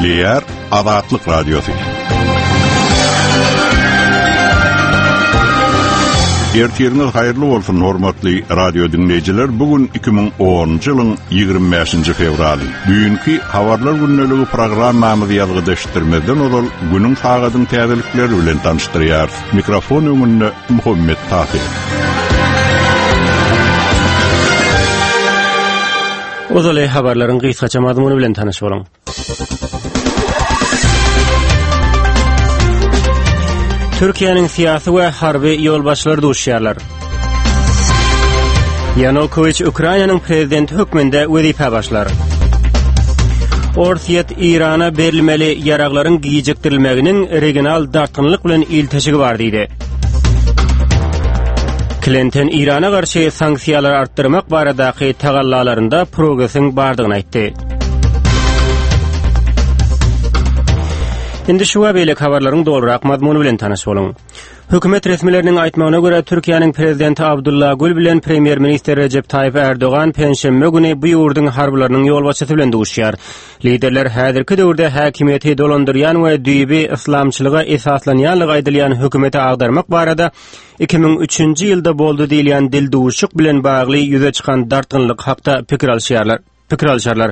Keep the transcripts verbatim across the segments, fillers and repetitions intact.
Gepleýär Azatlyk Radiosy. Ertiriňiz haýyrly bolsun hormatly radio dinleýjiler. Bu gün iki müň onunjy ýylyň ýigrimi bäşinji fewraly. Düýnki habarlar gündeligi programmamyzy ýazgydaşdyrmazdan ozal günüň sagadyň täzelikleri bilen tanyşdyrýarys. Mikrofon öňünde Muhammet Tahir. Ozaly habarlaryň gysgaça mazmuny bilen tanyş boluň. Türkiýäniň syýasy we harby ýolbaşçylary duşýarlar. Ýanukowiç Ukrainanyň prezidenti hökmünde wezipä başlar. Orsýet Irana berilmeli ýaraglaryň gijikdirilmeginiň regional dartgynlyk bilen ilteşigi bar diýdi. Klinton Irana garşy sanksiýalary artdyrmak baradaky tagallalarynda progresiň bardygyny aýtdy. Indi şu we beýleki habarlaryň dolurak mazmuny bilen tanyş boluň. Hökümet resmileriniň aýtmagyna görä Türkiýäniň prezidenti Abdullah Gül bilen premýer-ministr Recep Tayyip Erdogan penşenbe güni bu ýurduň harbylarynyň ýolbaşçysy bilen duşýar. Liderler häzirki döwürde häkimiýeti dolandyrýan we düýbi yslamçylyga esaslanýanlygy aýdylýan hökümeti agdarmak barada iki müň üçünji ýylda boldy diýilýän dil duşuk bilen bagly ýüze çykan dartgynlyk hakda pikir alşýarlar. Pikir alşarlar.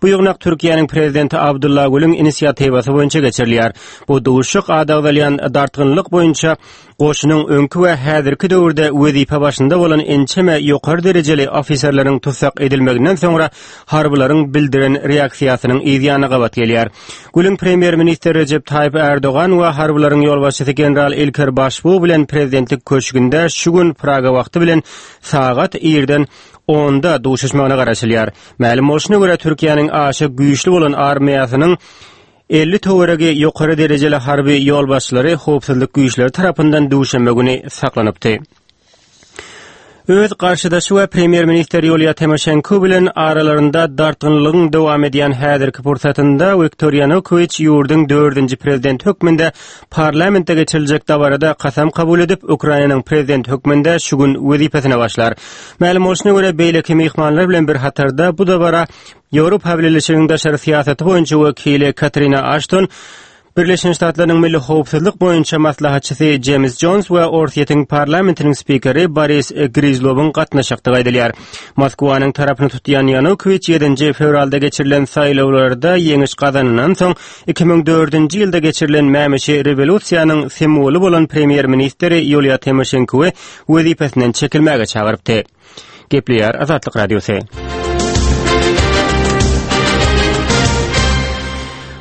Bu ýygnak Türkiýäniň prezidenti Abdullah Gülüň inisiatiwasy boýunça geçirilýär. Bu duşuk adagdalýan dartgynlyk boýunça goşunyň öňki we häzirki döwürde wezipe başynda bolan ençeme ýokary derejeli ofiserleriň tutsak edilmeginden soňra harbylaryň bildiren reaksiýasynyň yzýany gabat gelýär. Gülüň premýer-ministr Recep Tayyip Erdogan we harbylaryň ýolbaşçysy general Ilker Başbuğ bilen prezidentlik köşgünde şu gün Praga wagty bilen sagat irden onda duşuşmagyna garaşylýar. Mälim bolşuna görä Türkiýäniň aşa güýçli bolan armiýasynyň elli töweregi ýokary derejeli harby ýolbaşçylary howpsuzlyk güýçleri tarapyndan duşenbe güni saklanypdy. Öz garşydaşy we premýer-ministr Ýuliýa Timoşenko bilen aralarynda dartgynlygyň dowam edýän häzirki pursatynda Wiktor Ýanukowiç ýurduň dördünji prezident hökmünde parlamentde geçiriljek dabarada kasam kabul edip, Ukrainanyň prezident hökmünde şu gün wezipesine başlar. Mälim bolşuna görä beýleki myhmanlar bilen bir hatarda bu dabara Ýewropa Bileleşiginiň daşary syýasaty boýunça wekili Katrina Ashton, Birleşen Ştatlaryň Milli Howpsuzlyk boýunça maslahatçysy James Jones we Orsýetiň parlamentiniň spikeri Boris Grizlowyň gatnaşakdygy aýdylýar. Moskwanyň tarapyny tutýan Ýanukowiç ýedinji fewralda geçirilen saýlawlarda ýeňiş gazanandan soň iki müň dördünji ýylda geçirilen mämişi rewolýusiýanyň simwoly bolan premýer-ministri Ýuliýa Timoşenkowy wezipesinden çekilmäge çagyrypdy. Gepleýär Azatlyk Radiosy.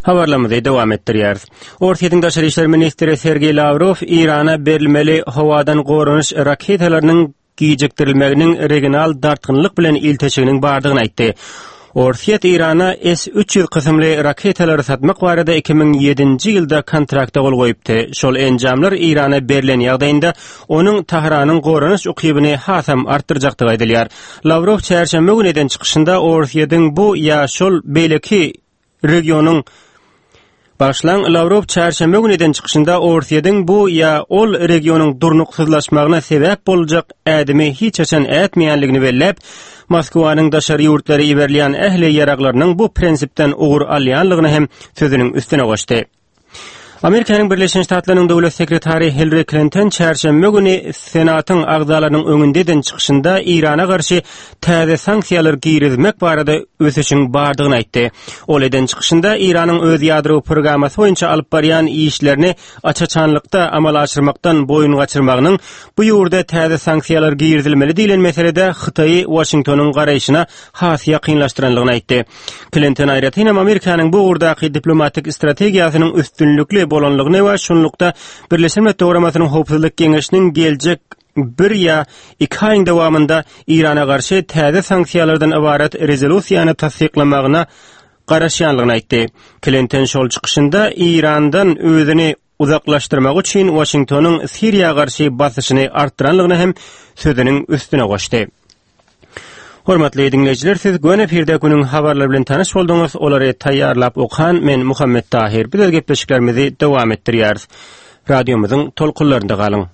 Habarlarymyzy dowam etdirýäris. Orsýetiň daşary işler ministri Sergey Lavrov Irana berilmeli howadan goranyş raketalarynyň gijikdirilmeginiň regional dartgynlyk bilen ilteşiginiň bardygyny aýtdy. Orsýet Irana S üç ýüz kysymly raketalary satmak barada iki müň ýedinji ýylda kontrakta gol goýupdy. Şol enjamlar Irana berlen ýagdaýynda onuň Tahranyň goranyş ukybyny hasam artdyrjakdygy aýdylýar. Lavrov çärşenbe güni eden çykyşynda Orsýetiň bu ýa şol beýleki regionyň Başlan Lavrov çärşenbe güni eden çykyşynda Orsýetiň bu ýa ol regionyň durnuksyzlaşmagyna sebäp boljak ädimi hiç haçan ätmeýänligini belläp, Moskwanyň daşary ýurtlara iberilýän ähli ýaraglarynyň bu prinsipden ugur alýanlygyny hem sözüniň üstüne goşdy. Amerikanyň Birleşen Ştatlarynyň döwlet sekretary Hillary Clinton çärşenbe güni Senatyň agzalarynyň öňünde eden çykyşynda Irana garşy täze sanksiýalar girizmek barada ösüşiň bardygyny aýtdy. Ol eden çykyşynda Iranyň öz ýadro programmasy boýunça alyp barýan işlerini aç-açanlykda amala aşyrmakdan boýun gaçyrmagynyň bu ýurda täze sanksiýalar girizilmeli diýlen meselede Hytaýy Washingtonyň garaýşyna has ýakynlaşdyranlygyny aýtdy. Clinton aýratyn hem Amerikanyň bu ugurdaky diplomatik strategiýasynyň üstünlikli bolanlygyny we şunlukda Birleşen Milletler Guramasynyň Howpsuzlyk Geňeşiniň geljek bir ýa iki aýyň dowamynda Irana garşy täze sanksiýalardan ybarat rezolýusiýany tassyklamagyna garaşýanlygyny aýtdy. Clinton şol çykyşynda Irandan özüni uzaklaşdyrmak üçin Washingtonyň Siriýa garşy basyşyny artdyranlygyny hem sözüniň üstüne goşdy. Hormatly dinleýjiler, siz göni efirde günüň habarlary bilen tanyş bolduňyz. Olary taýýarlap okan men Muhammet Tahir. Biz öz gepleşiklerimizi dowam etdirýäris. Radiomyzyň tolkunlarynda galyň.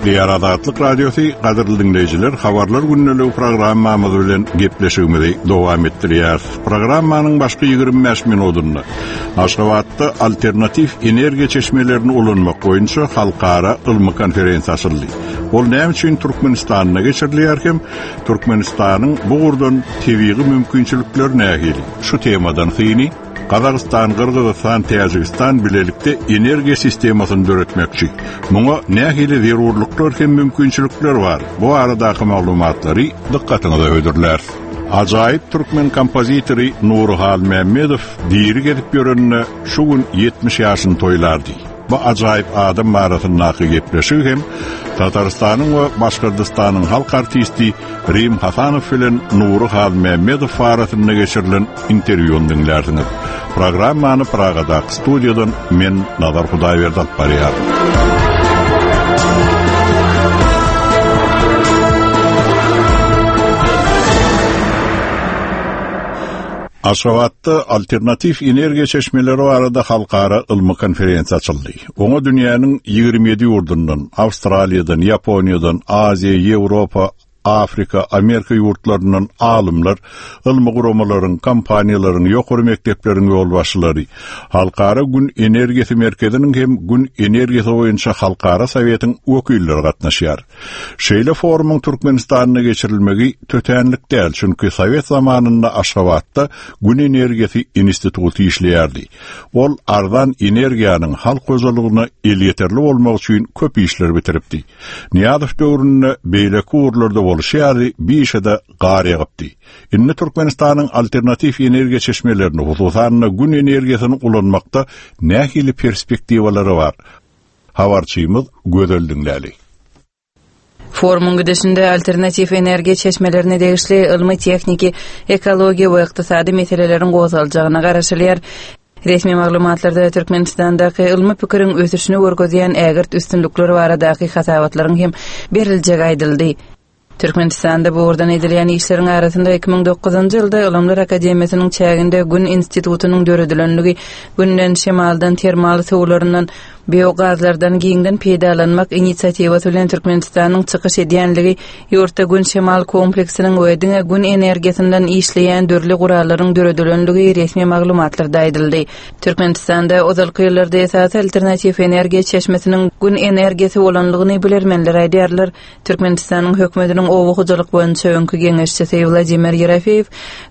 Gepleýär Azatlyk Radiosy, gadyrly diňleýjiler, habarlar gündeligi programmamyz bilen gepleşigimizi dowam etdirýär. Programmanyň başky ýigrimi bäş minutynda Aşgabatda alternatiw energiýa çeşmelerini ulanmak boýunça halkara ylmy konferensiýa açyldy. Ol näme üçin Türkmenistanda geçirilýär hem Türkmenistanyň bu ugurdan tebigy mümkinçilikleri nähili? Şu temadan syny Gazagystan, Gyrgyzystan, Täjigistan bilelikde energiýa sistemasyny döretmekçi. Muňa nähili zerurlyklar hem mümkinçilikler bar? Bu aradaky maglumatlary dykgatyňyza hödürler. Ajaýyp türkmen kompozitory Nury Halmämmedow diri gezip ýörenine şu gün ýetmiş ýaşyny toýlardy. Bu ajaýyp adam barasyndaky gepleşigi hem Tatarystanyň we Başgyrdystanyň halk artisti Rim Hasanow bilen Nury Halmämmedow arasynda geçirilen interwýuny diňlärsiňiz. Programmany Pragadaky studiýadan men Nazar Hudaýberdi alyp barýaryn. Aşgabatda alternatiw energiýa çeşmeleri barada halkara ylmy konferensiýa açyldy. Oňa dünýäniň ýigrimi ýedi ýurdundan, Awstraliýadan, Ýaponiýadan, Aziýa, Ýewropa, Afrika, Amerika ýurtlaryndan alymlar, ylmy guramalaryň, kompaniýalaryň, ýokary mekdepleriň ýolbaşçylary, Halkara Gün energiýasy merkeziniň hem Gün energiýasy boýunça Halkara Sowetiň wekilleri gatnaşýar. Şeýle forumyň Türkmenistanda geçirilmegi tötänlik däl, çünki Sowet zamanynda Aşgabatda Gün energiýasy instituty işleýärdi. Ol arzan energiýanyň halk hojalygyna elýeterli bolmak üçin köp işler bitiripdi. Nyýazow döwründe beýleki ugurlarda bolşy ýaly bir işe-de gar ýagypdy. Indi Türkmenistanyň alternatiw energiýa çeşmelerini, hususan-da gün energiýasyny ulanmakda nähili perspektiwalary bar? Habarçymyz Gözel diňläli. Forumyň gidişinde alternatiw energiýa çeşmelerine degişli ylmy, tehniki, ekologiýa we ykdysady meseleleriň gozgaljagyna garaşylýar. Resmi maglumatlarda Türkmenistandaky ylmy pikiriň ösüşini görkezýän ägirt üstünlikler baradaky hasabatlaryň hem beriljegi aýdyldy. Türkmenistanda bu ugurdan edilýän işleriň arasynda iki müň dokuzynjy ýylda Ylymlar Akademiýasynyň çäginde Gün institutynyň döredilenligi, Günden, şemaldan, termal suwlaryndan, biogazlardan giňden peýdalanmak inisiatiwasy bilen Türkmenistanyň çykyş edýänligi, ýurtda gün-şemal kompleksiniň we diňe gün energiýasyndan işleýän dürli gurallaryň döredilenligi resmi maglumatlarda aýdyldy. Türkmenistanda ozalky ýyllarda esasy alternatiw energiýa çeşmesiniň gün energiýasy bolanlygyny bilermenler aýdýarlar. Türkmenistanyň hökümetiniň oba hojalyk boýunça öňki geňeşçisi Wladimir Ýerofeýew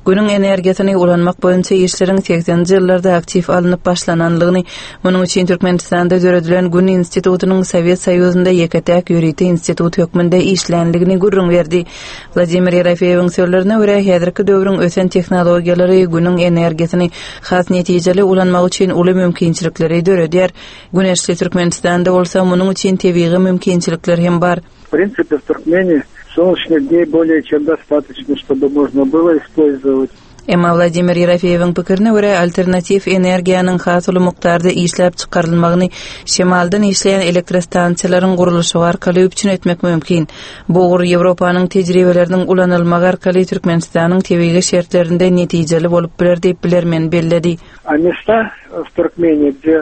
günüň energiýasyny ulanmak boýunça işleriň segseninji ýyllarda aktiw alnyp başlananlygyny, munuň üçin Türkmenistanda döredilen Gün institutynyň Sowet Soýuzynda ýeke-täk ýörite institut hökmünde işlänligini gürrüň berdi. Wladimir Ýerofeýewiň sözlerine görä, häzirki döwrüň ösen tehnologiýalary günüň energiýasyny has netijeli ulanmak üçin uly mümkinçilikleri döredýär. Güneşli Türkmenistanda bolsa munuň üçin tebigy mümkinçilikler hem bar. В принципе, в Туркмении солнечных дней более чем достаточно, чтобы можно было использовать. Emma Wladimir Ýerofeýewiň pikirine görä, alternatiw energiýanyň has uly mukdarda işläp çykarylmagyny şemaldan işleýän elektrostansiýalaryň gurluşygy arkaly üpjün etmek mümkin. Bu ugur Ýewropanyň tejribeleriniň ulanylmagy arkaly Türkmenistanyň tebigy şertlerinde netijeli bolup biler diýip bilermen belledi. A места в Туркмении, где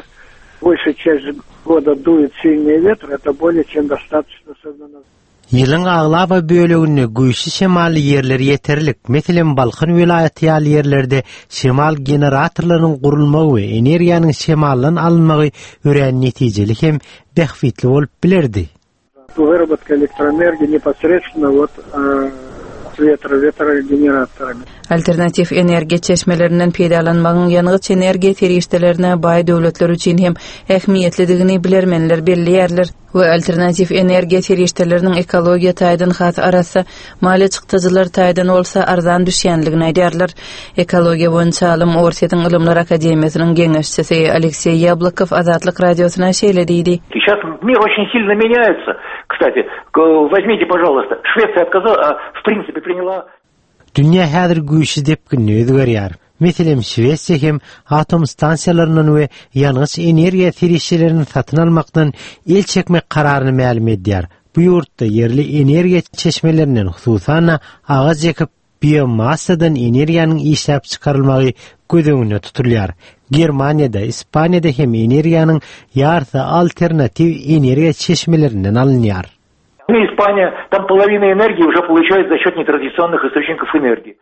большая часть года дует сильный ветер, это более чем достаточно особенно. Ýylyň aglaba böleginde güýçli şemally ýerler ýeterlik. Meselem, Balkan welaýaty ýaly ýerlerde şemal generatorlarynyň gurulmagy we energiýanyň şemaldan alynmagy örän netijeli hem bähbitli bolup bilerdi. Выработка электроэнергии непосредственно вот, э, ветро, ветрогенераторами. Alternatiw energiýa çeşmelerinden peýdalanmagyň ýangyç energiýa serişdelerine baý döwletler üçin hem ähmiýetlidigini bilermenler belleýärler we alternatiw energiýa serişdeleriniň ekologiýa taýdan has arassa, maliýe çykdajylar taýdan bolsa arzan düşýänligini aýdýarlar. Ekologiýa boýunça alym Orsýetiň Ylymlar Akademiýasynyň geňeşçisi Alekseý Ýablokow Azatlyk Radiosyna şeýle diýdi. Сейчас мир очень сильно меняется. Кстати, к-, возьмите, пожалуйста, Швеция отказала, а, в принципе, приняла Dünýä häzir güýçli depginli özgerýär. Meselem, Şwesiýa hem atom stansiýalaryndan we ýangyç energiýa serişdelerini satyn almakdan el çekmek kararyny mälim edýär. Bu ýurtda ýerli energiýa çeşmelerinden, hususan-da agaç ekip biomassadan energiýanyň işläp çykarylmagy göz öňünde tutulýar. Germaniýada, Ispaniýada hem energiýanyň ýarysy alternatiw energiýa çeşmelerinden alynýar. Испания, там половина энергии уже получают за счет нетрадиционных источников энергии.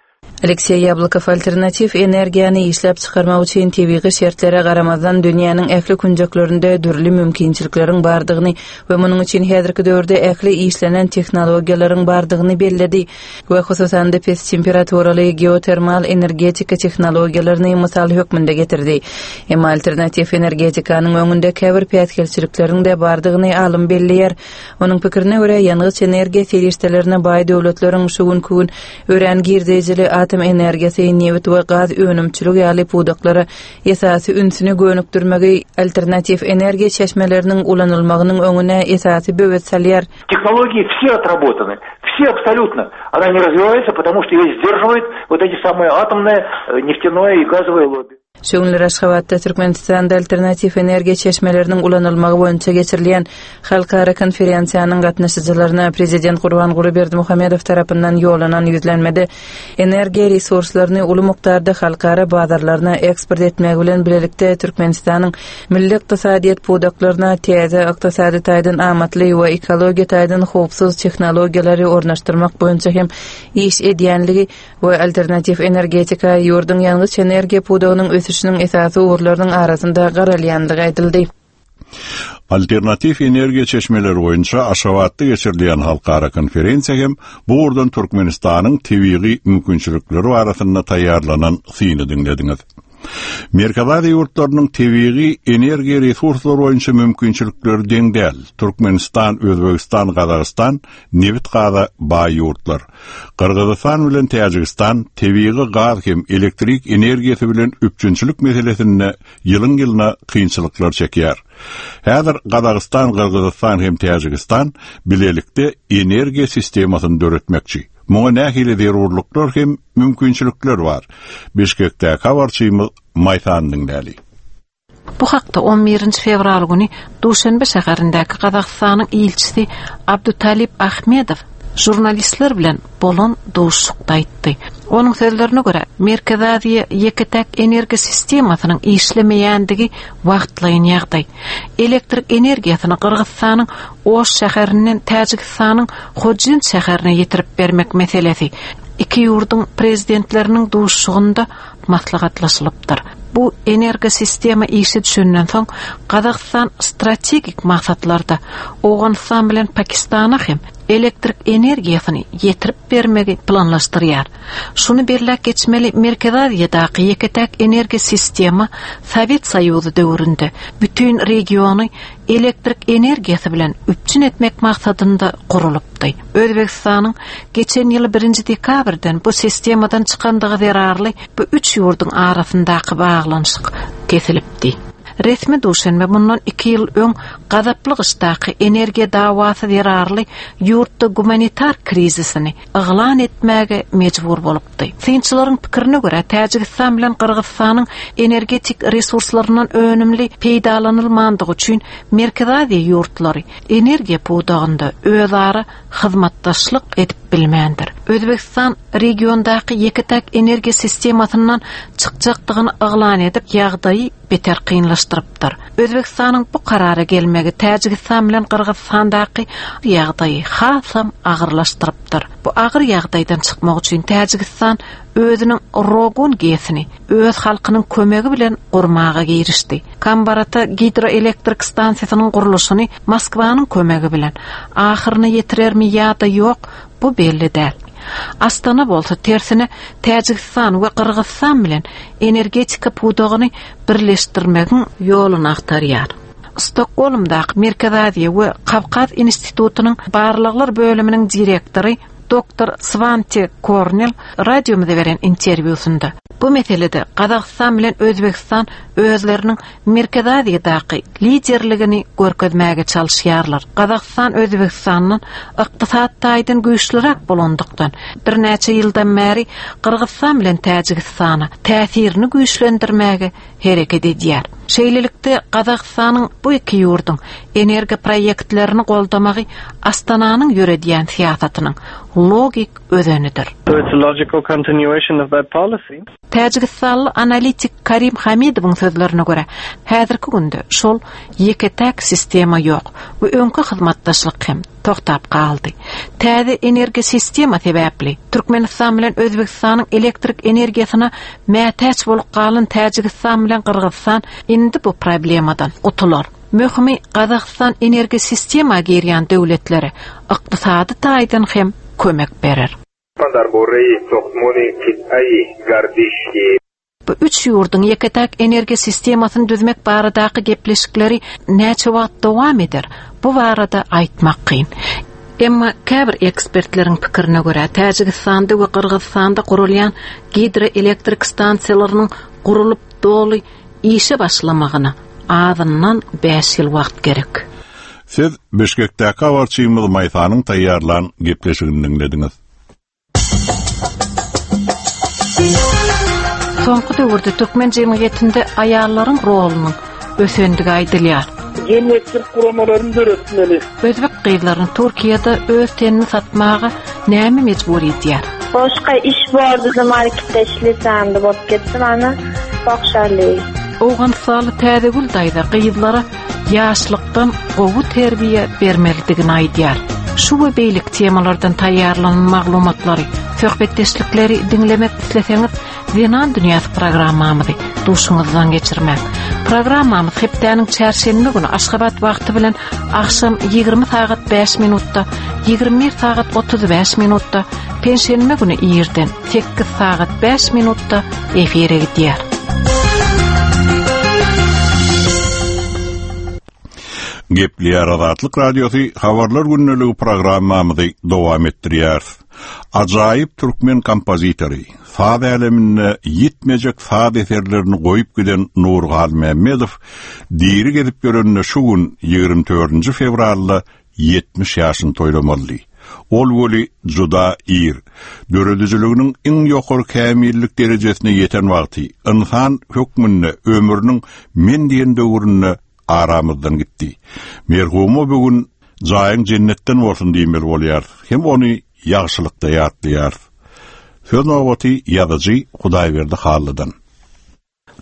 Alekseý Ýablokow alternatiw energiýany işläp çykarmak üçin tebigy şertlere garamazdan dünýäniň ähli künjeklerinde dürli mümkinçilikleriň bardygyny we munuň üçin häzirki döwürde ähli işlenen tehnologiýalaryň bardygyny belledi we hususan-da pes temperaturaly geotermal energetika tehnologiýalaryny mysal hökmünde getirdi. Emma alternatiw energetikanyň öňünde käbir päsgelçilikleriň-de bardygyny alym belleýär. Onuň pikirine görä ýangyç energiýa serişdelerine baý döwletleriň şu günki gün örän girdejili atom energiýasy, nebit we gaz önümçiligi ýaly pudaklara esasy ünsüni gönükdirmegi alternatiw energiýa çeşmeleriniň ulanylmagynyň öňüne esasy böwet salýar. Технологии все отработаны, все абсолютно. Она не развивается, потому что ее сдерживает вот эти самые атомные, э, нефтяное и газовое лобби. Şu günler Aşgabatda Türkmenistanda alternatiw energiýa çeşmeleriniň ulanylmagy boýunça geçirilýän halkara konferensiýanyň gatnaşyjylaryna Prezident Gurbanguly Berdimuhamedow tarapyndan ýollanan ýüzlenmede energiýa resurslaryny uly mukdarda halkara bazarlaryna eksport etmek bilen birlikde Türkmenistanyň milli ykdysadyýet pudaklaryna täze ykdysady taýdan amatly we ekologiýa taýdan howpsuz tehnologiýalary ornaşdyrmak boýunça hem iş edýänligi we alternatiw energetika ýurduň ýangyç energiýa pudagynyň ösüşiniň esasy ugurlarynyň arasynda garalýanlygy aýdyldy. Alternatiw energiýa çeşmeleri boýunça Aşgabatda geçirilýän halkara konferensiýa hem bu ugurdan Türkmenistanyň tebigy mümkinçilikleri arasynda taýýarlanan syny diňlediňiz. Merkezi Aziýa ýurtlarynyň tebigy energiýa resurslary boýunça mümkinçilikleri deň däl. Türkmenistan, Özbegistan, Gazagystan nebit gaza baý ýurtlar. Gyrgyzystan bilen Täjigistan tebigy gaz hem elektrik energiýasy bilen üpjünçilik meselesinde ýylyň ýylyna kynçylyklar çekýär. Häzir Gazagystan, Gyrgyzystan hem Täjigistan bilelikde energiýa sistemasyny döretmekçi. Muňa nähili zerurlyklar hem mümkinçilikler bar. Bişkekdäki habarçymyz Maýsan diňläli. Bu hakda on birinji fewral güni Duşenbe şäherindäki Gazagystanyň ilçisi Abdutalip Ahmedow jurnalistler bilen bolan duşuşykda aýtdy. Onuň sözlerine görä, Merkezi Aziýa ýeke-täk energiýa sistemasynyň işlemeýändigi wagtlaýyn ýagdaý. Elektrik energiýasyny Gyrgyzystanyň Oş şäherinden Täjigistanyň Hojent şäherine ýetirip bermek meselesi iki ýurduň prezidentleriniň duşuşygynda maslahatlaşylypdyr. Bu energiýa sistema işe düşenden soň Gazagystan strategik maksatlarda Owganystan bilen Pakistana hem elektrik energiýasyny ýetirip bermegi planlaşdyrýar. Şuny belläp geçmeli, Merkezi Aziýadaky ýeke-täk energiýa sistema Sowet Soýuzy döwründe bütün regiony elektrik energiýasy bilen üpjün etmek maksadynda gurulypdy. Özbegistanyň geçen ýyly birinji dekabrdan bu sistemadan çykandygy zerarly bu üç ýurduň arasyndaky baglanyşyk kesilipdi. Resmi Duşenbe bundan iki ýyl öň gazaply gyşdaky energiýa dawasy zerarly ýurtda gumanitar krizisini yglan etmäge mejbur bolupdy. Synçylaryň pikirine görä Täjigistan bilen Gyrgyzystanyň energetik resurslaryndan önümli peýdalanylmandygy üçin Merkezi Aziýa ýurtlary energiýa pudagynda özara hyzmatdaşlyk edip bilmändir. Özbegistan regiondaky ýeke-täk energiýa sistemasyndan çykjakdygyny yglan edip, ýagdaýy beter kynlaşdyrypdyr. Özbegistanyň bu karara gelmegi Täjigistan bilen Gyrgyzystandaky ýagdaýy hasam agyrlaşdyrypdyr. Bu agyr ýagdaýdan çykmak üçin Täjigistan özüniň Rogun GES-ini öz halkynyň kömegi bilen gurmaga girişdi. Kambarata gidroelektrik stansiýasynyň gurluşyny Moskwanyň kömegi bilen ahyryna ýetirermi ýa-da ýok, bu belli däl. Astana bolsa tersine Täjigistan we Gyrgyzystan bilen energetika pudagyny birleşdirmegiň ýoluny agtarýar. Stokgolmdaky Merkezi Aziýa we Kawkaz institutynyň barlaglar bölüminiň direktory doktor Svante Kornel radiomyza beren interwýusynda bu meselede Gazagystan bilen Özbegistan özleriniň Merkezi Aziýadaky liderligini görkezmäge çalyşýarlar. Gazagystan Özbegistandan ykdysat taýdan güýçliräk bolandykdan birnäçe ýyldan bäri Gyrgyzystan bilen Täjigistana täsirini güýçlendirmäge hereket edýär. Şeýlelikde Gazagystanyň bu iki ýurduň energiýa proýektlerini goldamagy Astananyň ýöredýän syýasatynyň logik özenidir. So it's a logical continuation of that policy. Täjigistanly analitik Karim Hamidowyň sözlerine görä, häzirki günde şol ýeke-täk sistema ýok we öňki hyzmatdaşlyk hem toktap galdy. Täze energiýa sistema sebäpli Türkmenistan bilen Özbegistanyň elektrik energiýasyna mätäç bolup galan Täjigistan bilen Gyrgyzystan indi bu problemadan gutular. Möhümi Gazagystan energiýa sistema girýän döwletlere ykdysady taýdan hem kömek berer. Bu üç ýurduň ýeke-täk energiýa sistemasyny düzmek baradaky gepleşikleri näçe wagt dowam eder? Bu barada aýtmak kyn. Emma käbir ekspertleriň pikirine görä Täjigistanda we Gyrgyzystanda gurulýan gidroelektrik stansiýalarynyň gurulyp doly işe başlamagyna azyndan bäş ýyl wagt gerek. Siz Bişkekdäki habarçymyz Maýsanyň taýýarlan gepleşigini diňlediňiz. Soňky döwürde türkmen jemgyýetinde aýallaryň rolunyň ösendigi aýdylýar. Jemgyýetçilik guramalaryny döretmeli. Özbek gyzlaryny Türkiýede öz tenini satmaga näme mejbur edýär? Boşga iş bordy, marketde işlesem bolup ketdi bana. Bokşarly. Owganystanly Täzegül daýza gyzlara ýaşlykdan gowy terbiýe bermelidigini aýdýar. Şu we beýleki temalardan taýýarlanan maglumatlary, söhbetdeşlikleri diňlemek isleseňiz, Zenan Dünýäsi programmamyzy duşuňyzdan geçirmek. Programmamyz hepdäniň çarşenbe güni Aşgabat wagty bilen akşam ýigrimi sagat bäş minutda, ýigrimi bir sagat otuz bäş minutda, penşenbe güni irden sekiz sagat bäş minutda efire gidýär. Gepleýär Azatlyk Radiosy Habarlar günlügi programmamyzy dowam etdirýär. Ajaýyp türkmen kompozitory, saz äleminde ýetmejek saz eserlerini goýup giden Nury Halmämmedow diri gezip ýörenine şu gün ýigrimi dördünji fewralda ýetmiş ýaşyny toýlamaly. Ol weli juda ir. Döredijiliginiň iň ýokary kämillik derejesine ýeten wagty ynsan hökmünde ömrüniň men diýen döwründe aramyzdan gitdi. Merhuma bugün jaýyň jennetden bolsun diýmeli bolýar. Hem ony ýagşylykda ýatlaýar. Söz nobaty ýazyjy Hudaýberdi Hallydan.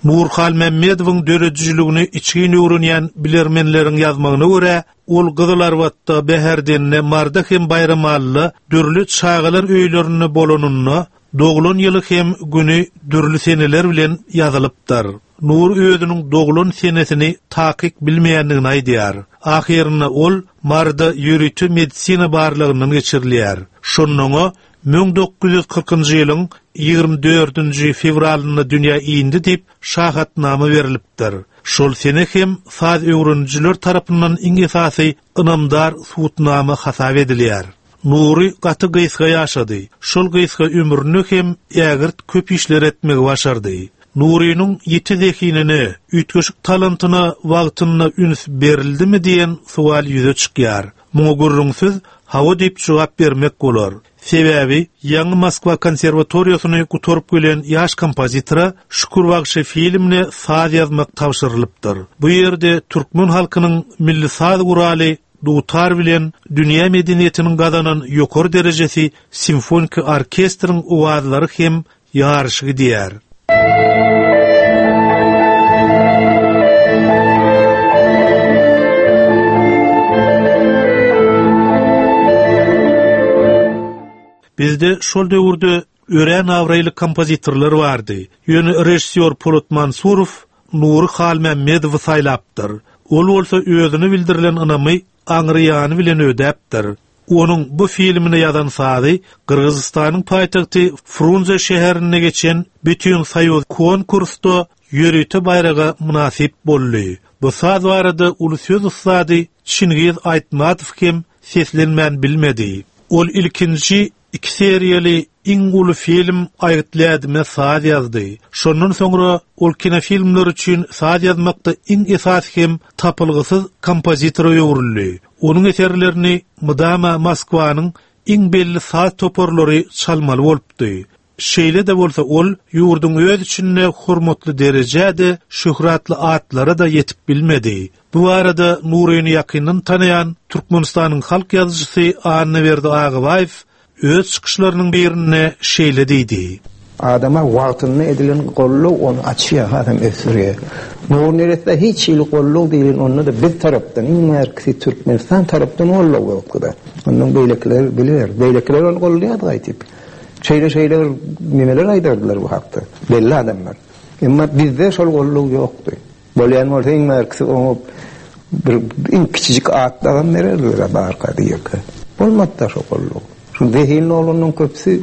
Nury Halmämmedowyň döredijiligini içgin öwrenýän bilermenleriň ýazmagyna görä, ol Gyzylarbatda, Bäherdende, Marda hem Baýramalyda dürli çagalar öýlerinde bolanynda doglan ýyly hem güni dürli seneler bilen ýazylypdyr. Nur özüniň doglan senesini takyk bilmeýändigini aýdýar. Ahyrynda ol Marda ýörite medisina barlagyndan geçirilýär. Şonda müň dokuz ýüz kyrkynjy ýylyň ýigrimi dördünji fewralynda dünýä indi diýip şahatnama berilipdir. Şol sene hem saz öwrenijiler tarapyndan iň esasy ynamdar subutnama hasap edilýär. Nury gaty gysga ýaşady. Şol gysga ömrüni hem ägirt köp işler etmegi başardy. Nurynyň ýiti zehinine, üýtgeşik talantyna wagtynda üns berildimi diýen sowal ýüze çykýar. Muňa gürrüňsiz hawa diýip jogap bermek bolar. Sebäbi ýaňy Moskwa konserwatoriýasyny gutaryp gelen ýaş kompozitora Şükür bagşy filmine saz ýazmak tabşyrylypdyr. Bu ýerde türkmen halkynyň milli saz guraly dutar bilen dünýä medeniýetiniň gazanan ýokary derejesi simfonik orkestriň owazlary hem ýaryşy gidýär. Bizde şol döwürde örän abraýly kompozitorlar bardy. Ýöne rejissýor Polat Mansurow Nury Halmämmedowy saýlapdyr. Ol bolsa özüne bildirilen ynamy aňryýany bilen ödäpdir. Onuň bu filmine ýazan sazy Gyrgyzystanyň paýtagty Frunze şäherinde geçen bütün soýuz konkursda ýörite baýraga mynasyp boldy. Bu saz barada uly söz ussady Çingiz Aýtmatow hem seslenmän bilmedi. Ol ilkinji iki seriýaly iň uly film Aýgytly saz ýazdy. Şondan soňra ol kinofilmler üçin saz ýazmakda iň esasy hem tapylgysyz kompozitora öwrüldi. Onuň eserlerini mydama Moskwanyň iň belli saz toparlary çalmaly bolupdy. Şeýle-de bolsa ol ýurduň öz içinde hormatly derejede şöhratly atlara da ýetip bilmedi. Bu arada Nuryny ýakyndan tanaýan Türkmenistanyň halk ýazyjysy Annaberdi Agabaýew öz çykyşlarynyň birinde şeýle diýdi. Adama wagtynda edilen golluw ony açýar, hasam ösdürýär. Nury neresse hiç hili golluw diýlen onda-da biz tarapdan, iň bärkisi Türkmenistan tarapdan golluw ýokdy-da. Ondan beýlekiler biler. Beýlekiler ony gollaýardy gaýtyp. Şeýle-şeýle bir nemeler aýdardylar bu hakda. Belli adamlar. Emma bizde şol golluw ýokdy. Bolýan bolsa iň bärkisi oňa bir iň kiçijik at dagam bererdiler barka diýerkä. Bolmady-da şo golluw. Şu zehinli oglanlaryň köpüsi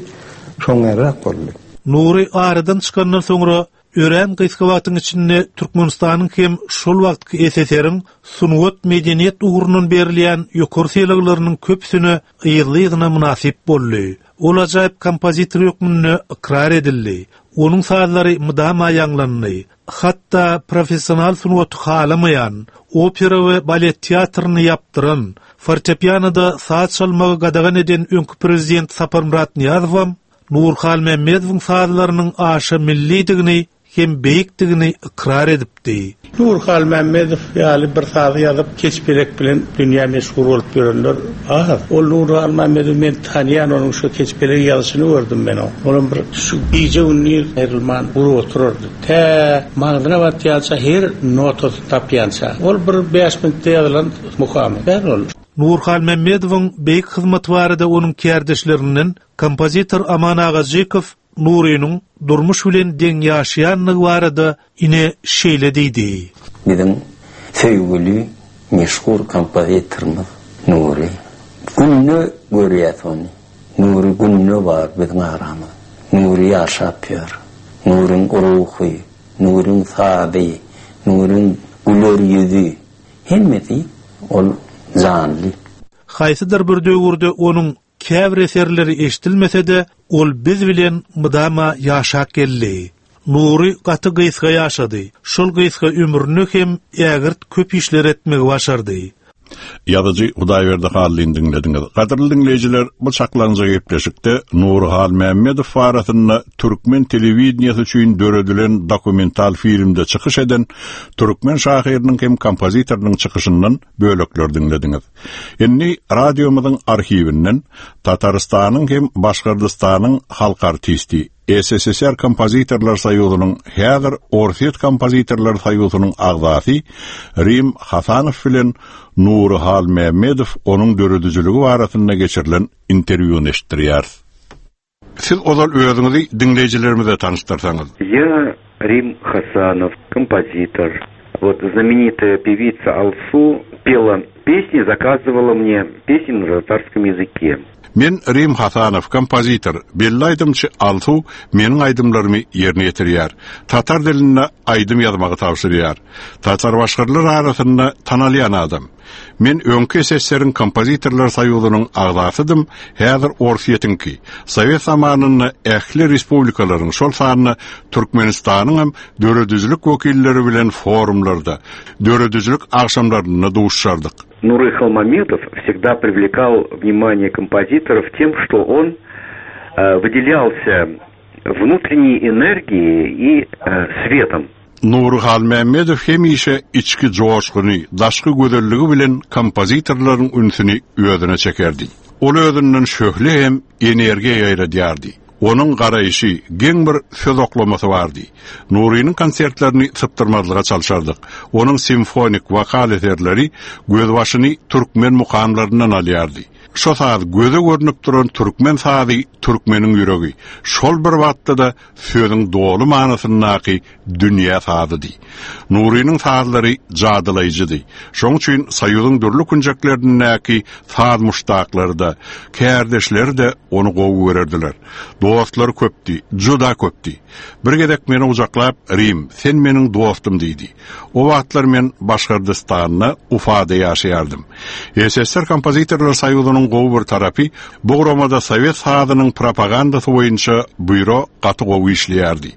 şoňňarak boldy. Nury aradan çykandan soňra örän gysga wagtyň içinde Türkmenistanyň hem şol wagtky S S R-iň sungat medeniýet ugrundan berilýän ýokary sylaglarynyň köpüsine yzly-yzyna mynasyp boldy. Ol ajaýyp kompozitor hökmünde ykrar edildi. Onuň sazlary mydama ýaňlandy. Hatda professional sungaty halamaýan, opera we balet teatryny ýapdyran, fortepianoda saz çalmagy gadagan eden öňki prezident Saparmyrat Nyýazowam Nury Halmämmedowyň sazlarynyň aşa millidigini hem beýikdigini ykrar edipdi. Nury Halmämmedow ýaly bir sazy ýazyp Keçpelek bilen dünýä meşhur bolup ýörenler az. Ol Nury Halmämmedow men tanýan, onuň şu Keçpelek ýazyşyny gördüm men o. Olam bir şu gije gündiz aýrylman gurup oturardy. Tä maňzyna batýança, her notasy tapýança. Ol bir bäş minutda ýazylan mukamy. Däl ol. Nury Halmämmedowyň beýik hyzmaty barada onuň kärdeşlerinden kompozitor Aman Agajykow Nurynyň durmuş bilen deň ýaşaýanlygy barada ine şeýle diýdi. Biziň söýgüli meşhur kompozitorymyz Nury. Günde görýäs ony. Nury günde bar biziň aramyzda. Nury ýaşap ýör. Nuryň ruhy, Nuryň sazy, Nuryň güler ýüzi hemmesi ol janly. Haýsydyr bir döwürde onuň käbir eserleri eşidilmese-de, ol biz bilen mydama ýaşap geldi. Nury gaty gysga ýaşady. Şol gysga ömrüni hem ägirt köp işler etmegi başardy. Ýazyjy Hudaýberdi Hallyny diňlediňiz. Gadyrly diňleýjiler, bu çaklaňja gepleşikde Nury Halmämmedow barasynda türkmen telewideniýesi üçin döredilen dokumental filmde çykyş eden türkmen şahyrynyň hem kompozitorynyň çykyşyndan bölekler diňlediňiz. Indi radiomyzyň arhiwinden Tatarystanyň hem Başgyrdystanyň halk artisti, S S S R Kompozitorlar Soýuzynyň, häzir Orsýet Kompozitorlar Soýuzynyň agzasy Rim Hasanow bilen Nury Halmämmedow onuň döredijiligi barasynda geçirilen interwýuny eşitdirýäris. Siz ozal özüňizi diňleýjilerimize tanyşdyrsaňyz. Я Рим Хасанов, композитор. Вот знаменитая певица Алсу пела песни, заказывала мне песни на татарском языке. Men Rim Hasanow, kompozitor, belli aýdymçy Alsu meniň aýdymlarymy ýerine ýetirýär. Tatar dilinde aýdym ýazmagy tabşyrýar. Tatar başgyrlar arasynda tanalýan adam. Men öňki S S S R-iň Kompozitorlar Soýuzynyň agzasydym, häzir Orsýetiňki. Sowet zamanynda ähli respublikalaryň, şol sanda Türkmenistanyň hem döredijilik wekilleri bilen forumlarda, döredijilik agşamlarynda duşardyk. Нуры Халмамедов всегда привлекал внимание композиторов тем, что он э, выделялся внутренней энергией и э, светом. Nury Halmämmedow hemişe içki joşguny, daşky gözelligi bilen kompozitorlaryň ünsüni özüne çekerdi. Ol özünden şöhle hem energiýa ýaýradýardy. Onuň garaýşy, geň bir söz oklamasy bardy. Nurynyň konsertlerini sypdyrmazlyga çalşardyk. Onuň simfonik wokal eserleri gözbaşyny türkmen mukamlaryndan alýardy. Şo saz göze görünüp duran türkmen sazy, türkmeniň ýüregi. Şol bir wagtda da sözüň doly manasyndaky dünýä sazydy. Nurynyň sazlary jadylaýjydy. Şoň üçin Soýuzyň dürli künjeklerindäki saz muşdaklary da, kärdeşleri de ony gowy görerdiler. Dostlar köpdi, juda köpdi. Bir gezek meni gujaklap, "Rim, sen meniň dostum" diýdi. O wagtlar men Başgyrdystanda, Ufada ýaşaýardym. S S S R Kompozitorlar Soýuzynyň gowy bir tarapy, bu guramada sowet sazynyň propagandasy boýunça býuro gaty gowy işleýärdi.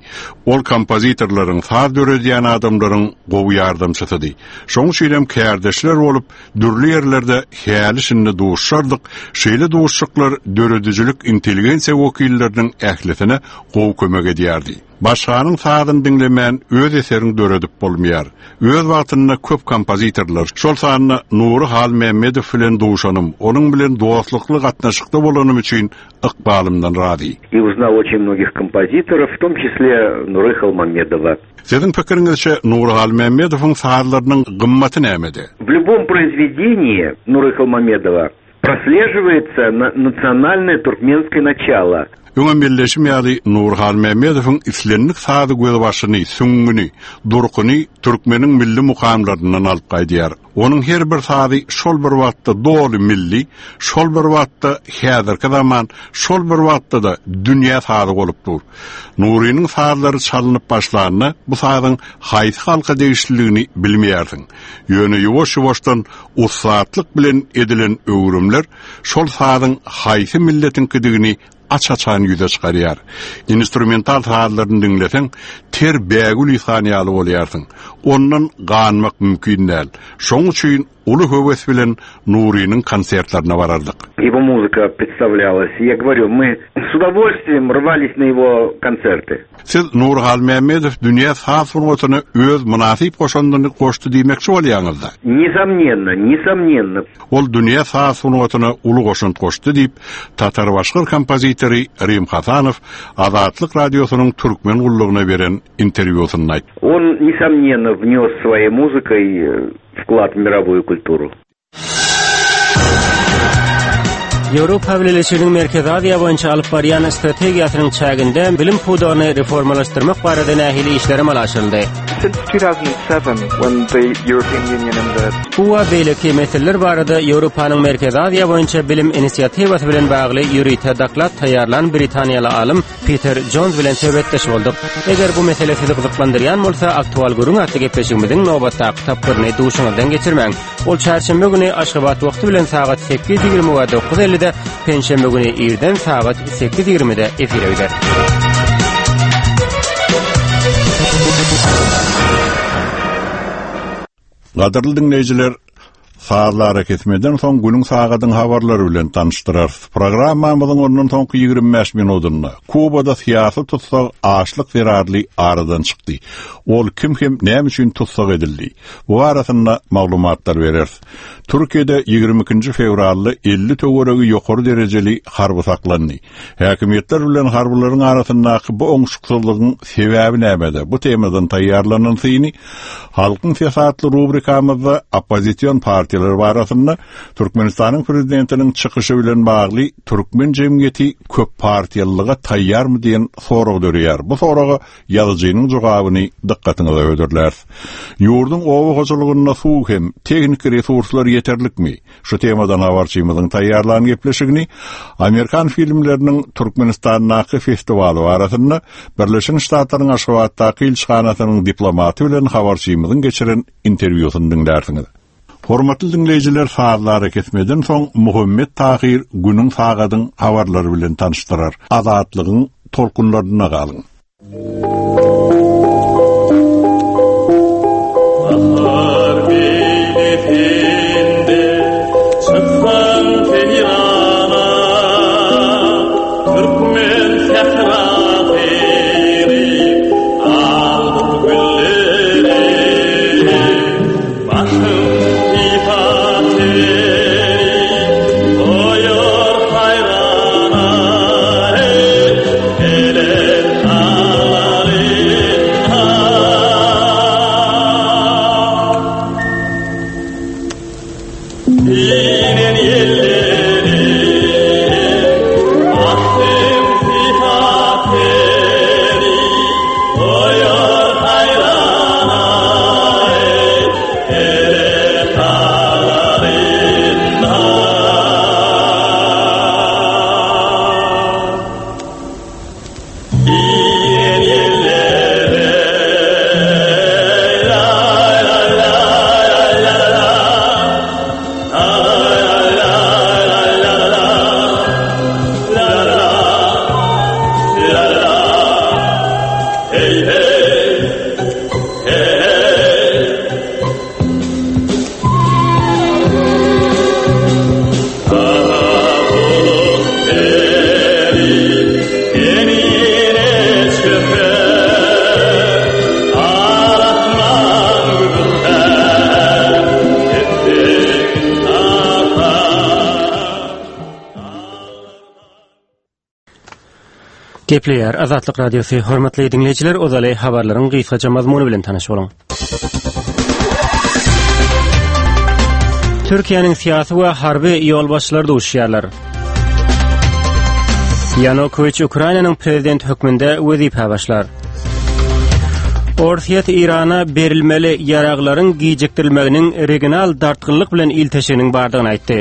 Ol kompozitorlaryň, saz döredýän adamlaryň gowy ýardamçysydy. Şoň üçin hem kärdeşler bolup dürli ýerlerde häli şindi duşardyk. Şeýle duşuşyklar döredijilik intelligensiýa wekilleriniň ählisine gowy kömek edýärdi. Başganyň sazyny diňlemän öz eseriňi döredip bolmaýar. Öz wagtynda köp kompozitorlar, şol sanda Nury Halmämmedow bilen duşanym, onuň bilen dostlukly gatnaşykda bolanym üçin ykbalymdan razy. И узнал очень многих композиторов, в том числе Нуры Халмамедова. Siziň pikiriňizçe Nury Halmämmedowyň sazlarynyň gymmaty nämede? В любом произведении Нуры Халмамедова прослеживается национальное туркменское начало. Öňem belleşim ýaly Nury Halmämmedowyň islendik sazy gözbaşyny, süňňüni, durkuny türkmeniň milli mukamlaryndan alyp gaýdýar. Onuň her bir sazy şol bir wagtda doly milli, şol bir wagtda häzirki zaman, şol bir wagtda-da dünýä sazy bolup dur. Nurynyň sazlary çalynyp başlanda bu sazyň haýsy halka degişliligini bilmeýärsiň. Ýöne ýuwaş-ýuwaşdan ussatlyk bilen edilen öwrümler şol sazyň haýsy milletiňkidigini aç-açan ýüze çykarýar. Instrumental sazlaryny diňleseň, ter bägül ýykan ýaly bolýarsyň. Ondan ganmak mümkin däl. Şoň üçin uly höwes bilen Nurynyň konsertlerine barardyk. Его музыка представлялась. Я говорю, мы с удовольствием рвались на его концерты. Siz Nury Halmämmedow dünýä saz sungatyna öz mynasyp goşandyny goşdy diýmekçi bolýaňyzda. Несомненно, несомненно. Ol dünýä saz sungatyna uly goşant goşdy diýip, Tatar-başgyr kompozitory Rim Hasanow Azatlyk radiosynyň türkmen gullugyna beren interwýusynda aýtdy. Он, несомненно, внес своей музыкой вклад в мировую культуру. Ýewropa Bileleşiginiň Merkezi Aziýa boýunça alyp barýan strategiýasynyň çäginde bilim pudagyny reformalaşdyrmak barada nähili işler amala aşyryldy? Since two thousand seven, when the European Union and the Bu we beýleki meseleler barada Ýewropanyň Merkezi Aziýa boýunça bilim inisiatiwasy bilen bagly ýörite doklad taýýarlan Britaniýaly alym Peter Jones bilen söhbetdeş bolduk. Eger bu mesele sizi gyzyklandyrýan bolsa, aktual gürrüň atly gepleşigimiziň nobatdaky tapgyryny duşuňyzdan geçirmäň. Ol çarşenbe güni Aşgabat wagty bilen sagat sekiz ýigrimi we dokuz ellide, penşenbe güni irden sagat sekiz ýigrimide efire gider. Gadyrly diňleýjiler, sazlara kesmeden soň günüň sagadyň habarlary bilen tanyşdyrarys. Programmamyzyň ondan soňky ýigrimi bäş minutynda Kubada syýasy tussag açlyk zerarly aradan çykdy. Ol kim hem näme üçin tussag edildi? Bu arasynda maglumatlar bereris. Türkiýede ýigrimi ikinji fewralda elli töweregi ýokary derejeli harby saklandy. Häkimiýetler bilen harbylaryň arasyndaky bu oňşuksyzlygyň sebäbi nämede? Bu temadan taýýarlanan syny Halkyň Sesi rubrikamyzda oppozision partiýalar barasynda Türkmenistanyň prezidentiniň çykyşy bilen bagly türkmen jemgyýeti köp partiýalylyga taýýarmy diýen sorag dörýär. Bu soraga ýazyjynyň jogabyny dykgatyňyza hödürläris. Ýurduň oba hojalygynda suw hem tehniki resurslar ýeterlikmi? Şu temadan habarçymyzyň taýýarlan gepleşigini Amerikan filmleriniň Türkmenistandaky festiwaly arasynda Birleşen Ştatlaryň Aşgabatdaky ilçihanasynyň diplomaty bilen habarçymyzyň geçiren interwýusyny diňlärsiňiz. Hormatly diňleýjiler, sazlary kesmeden soň Muhammet Tahir günüň sagadyň habarlary bilen tanyşdyrar. Azatlygyň tolkunlaryna galyň. Enine çöker Gepleýär Azatlyk Radiosy. Hormatly diňleýjiler, ozaly habarlaryň gysgaça mazmuny bilen tanyş boluň. Türkiýäniň syýasy we harby ýolbaşçylary duşýarlar. Ýanukowiç Ukrainanyň prezidenti hökmünde wezipä başlar. Orsýet Eýrana berilmeli ýaraglaryň gijikdirilmeginiň regional dartgynlyk bilen ilteşiginiň bardygyny aýtdy.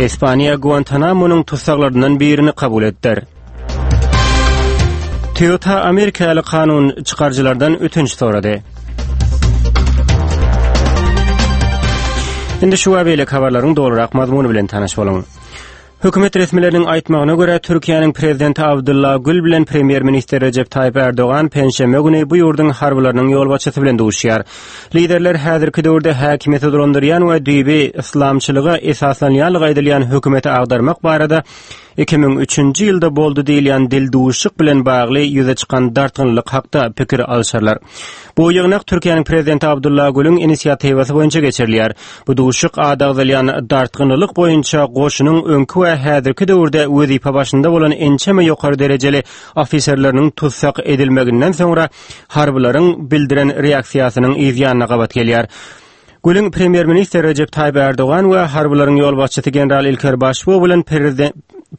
Ispaniýa Guantanamonyň tussaglaryndan birini kabul etdir. Toyota Amerikaly kanun çykaryjylardan ötünç sorady. Indi şu we beýleki habarlaryň dolurak mazmuny bilen tanyş boluň. Hökümet resmileriniň aýtmagyna görä, Türkiýäniň prezidenti Abdylla Gül bilen premýer-ministr Rejep Taýyp Ärdogan penşenbe güni bu ýurduň harbylarynyň ýolbaşçysy bilen duşýar. Liderler häzirki döwürde häkimiýeti dolandyrýan we düýbi yslamçylyga esaslanýanlygy aýdylýan hökümeti agdarmak barada iki müň üçünji ýylda boldy diýilýän dildüwüşik bilen bagly ýüze çykan dartgynlylyk hakda pikir alşarlar. Bu ýygnak Türkiýäniň prezidenti Abdylla Gülüň inisiatiwasy boýunça geçirilýär. Bu duşuşyk ady agzalýan dartgynlylyk boýunça goşunyň öňki we häzirki döwürde wezipe başynda bolan ençeme ýokary derejeli ofiserleriniň tussag edilmeginden soňra harbylaryň bildiren reaksiýasynyň yz ýanyna gabat gelýär. Gülüň premýer-ministr Rejep Taýyp Ärdogan we harbylaryň ýolbaşçysy general Ilker Başbug bilen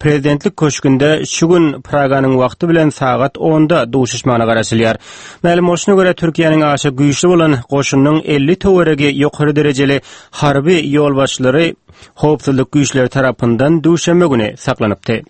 prezidentlik köşgünde şu gün Praganyň wagty bilen sagat onda duşuşmagyna garaşylýar. Mälim bolşuna görä, Türkiýäniň aşa güýçli bolan goşunynyň elli töweregi ýokary derejeli harby ýolbaşçylary howpsuzlyk güýçleri tarapyndan duşenbe güni saklanypdy.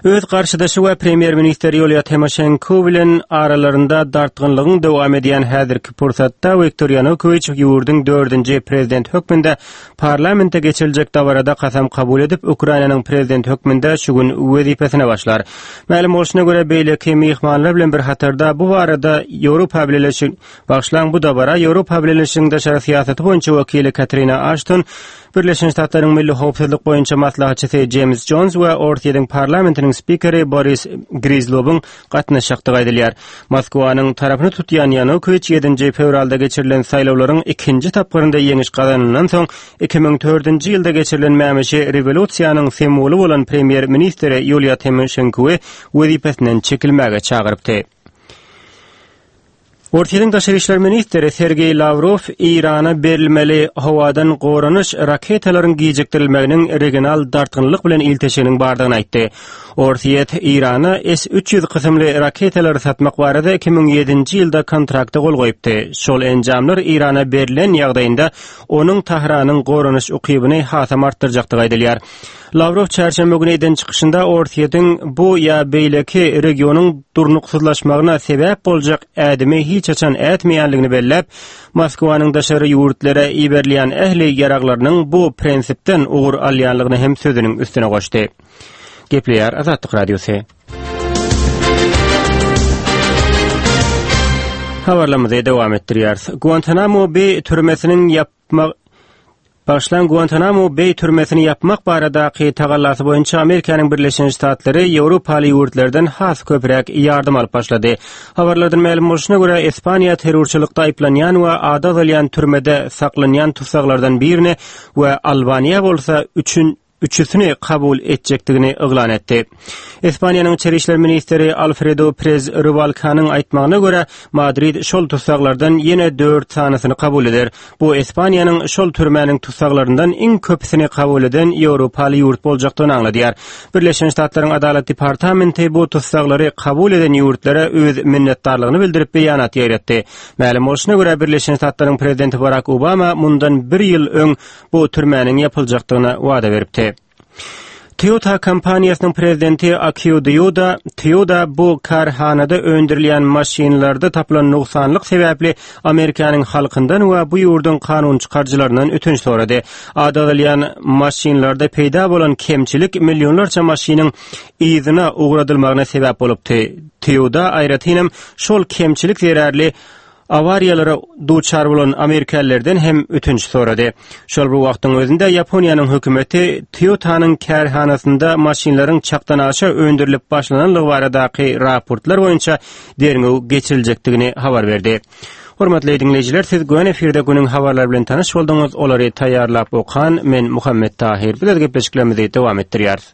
Öz garşydaşy we premýer-ministr Ýuliýa Timoşenko bilen aralarynda dartgynlygyň dowam edýän häzirki pursatda Wiktor Ýanukowiç ýurduň dördünji prezidenti hökmünde parlamentde geçiriljek dabarada kasam kabul edip, Ukrainanyň prezidenti hökmünde şu gün wezipesine başlar. Mälim bolşuna görä, beýleki myhmanlar bilen bir hatarda bu barada Ýewropa Bileleşigi Bagyşlaň bu dabara Ýewropa Bileleşiginiň daşary syýasaty boýunça wekili Katrina Aşton, Birleşen Ştatlaryň Milli howpsuzlyk boýunça maslahatçysy Jeýms Jons we Orsýetiň parlamentiniň spikeri Boris Grizlowyň gatnaşjakdygy aýdylýar. Moskwanyň tarapyny tutýan Ýanukowiç ýedinji fewralda geçirilen saýlawlaryň ikinji tapgyrynda ýeňiş gazanandan soň, iki müň dördünji ýylda geçirilen mämişi rewolýusiýanyň simwoly bolan premýer-ministri Ýuliýa Timoşenkowy wezipesinden çekilmäge çagyrypdy. Orsýetiň daşary işler ministri Sergeý Lawrow Eýrana berilmeli howadan goranyş raketalaryň gijikdirilmeginiň regional dartgynlyk bilen ilteşiginiň bardygyny aýtdy. Orsýet Eýrana S üç ýüz kysymly raketalary satmak barada iki müň ýedinji ýylda kontrakta gol goýupdy. Şol enjamlar Eýrana berlen ýagdaýynda onuň Tahranyň goranyş ukybyny hasam artdyrjakdygy aýdylýar. Lawrow çarşenbe güni eden çykyşynda Orsýetiň bu ýa beýleki regionyň durnuksyzlaşmagyna sebäp boljak ädimi hiç haçan ätmeýänligini belläp, Moskwanyň daşary ýurtlara iberilýän ähli ýaraglarynyň bu prinsipden ugur alýanlygyny hem sözüniň üstüne goşdy. Gepleýär Azatlyk Radiosy. Habarlarymyzy dowam etdirýäris. Guantanamo Beý türmesiniň ýapma Bagyşlaň Guantanamo Beý türmesini ýapmak baradaky tagallasy boýunça Amerikanyň Birleşen Ştatlary ýewropaly ýurtlardan has köpräk ýardam alyp başlady. Habarlardan mälim bolşuna görä, Ispaniýa terrorçylykda aýyplanýan we ady agzalýan türmede saklanýan tussaglardan birini we Albaniýa bolsa üçün üçüsini kabul etjekdigini yglan etdi. Ispaniýanyň içeri işler ministri Alfredo Prez Rubalkanyň aýtmagyna görä, Madrid şol tussaglardan ýene dört sanysyny kabul eder. Bu Ispaniýanyň şol türmäniň tussaglaryndan iň köpüsini kabul eden ýewropaly ýurt boljakdygyny aňladýar. Birleşen Ştatlaryň Adalat departamenti butussaglary kabul eden ýurtlara öz minnetdarlygyny bildirip beýanat ýaýratdy. Mälim bolşuna görä, Birleşen Ştatlaryň prezidenti Barak Obama mundan bir ýyl öň bu türmäniň ýapyljakdygyna wada beripdi. Toyota kompaniýasynyň prezidenti Akio Toyoda, Toyota bu kärhanada öndürilýän maşynlarda tapylan nogsanlyk sebäpli Amerikanyň halkyndan we bu ýurduň kanun çykaryjylaryndan ötünç sorady. Ady agzalýan maşynlarda peýda bolan kemçilik millionlarça maşynyň yzyna ugradylmagyna sebäp bolupdy. Toyota aýratynam şol kemçilik zerarly awariýalara duçar bolan amerikalylardan hem ötünç sorady. Şol bir wagtyň özünde Ýaponiýanyň hökümeti Toyotanyň kärhanasynda maşynlaryň çakdan aşa öndürilip başlananlygy baradaky raportlar boýunça derňew geçiriljekdigini habar berdi. Hormatly diňleýjiler, siz göni efirde günüň habarlary bilen tanyş bolduňyz. Olary taýýarlap okan men Muhammet Tahir. Biz öz gepleşiklerimizi dowam etdirýäris.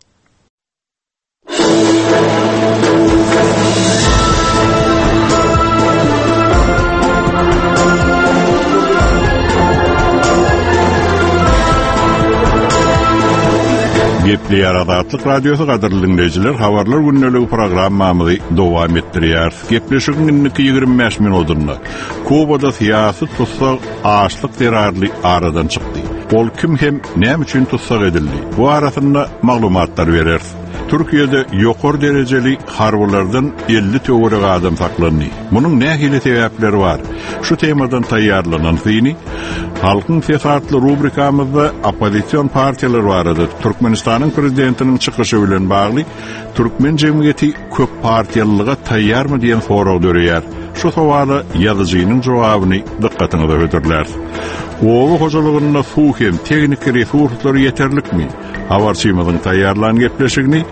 Gepleýär Azatlyk Radiosy gadyrly dinleýjiler, habarlar gündeligi programmamyzy dowam etdirýär. Gepleşigiň indiki ýigrimi bäş minutynda Kubada syýasy tussag açlyk zerarly aradan çykdy. Ol kim hem näme üçin tussag edildi? Bu arasynda maglumatlar bereris. Türkiýede ýokary derejeli harbylardan elli töwerek adam saklandy. Munuň nähili sebäpleri bar? Şu temadan taýýarlanan syny Halkyň Sesi atly rubrikamyzda oppozision partiýalar barada Türkmenistanyň prezidentiniň çykyşy bilen bagly türkmen jemgyýeti köp partiýalylyga taýýarmy diýen sorag döreýär. Şu sowala ýazyjynyň jogabyny dykgatyňyza hödürläris. Oba hojalygynda suw hem tehniki resurslary ýeterlikmi? Habarçymyzyň taýýarlan gepleşigini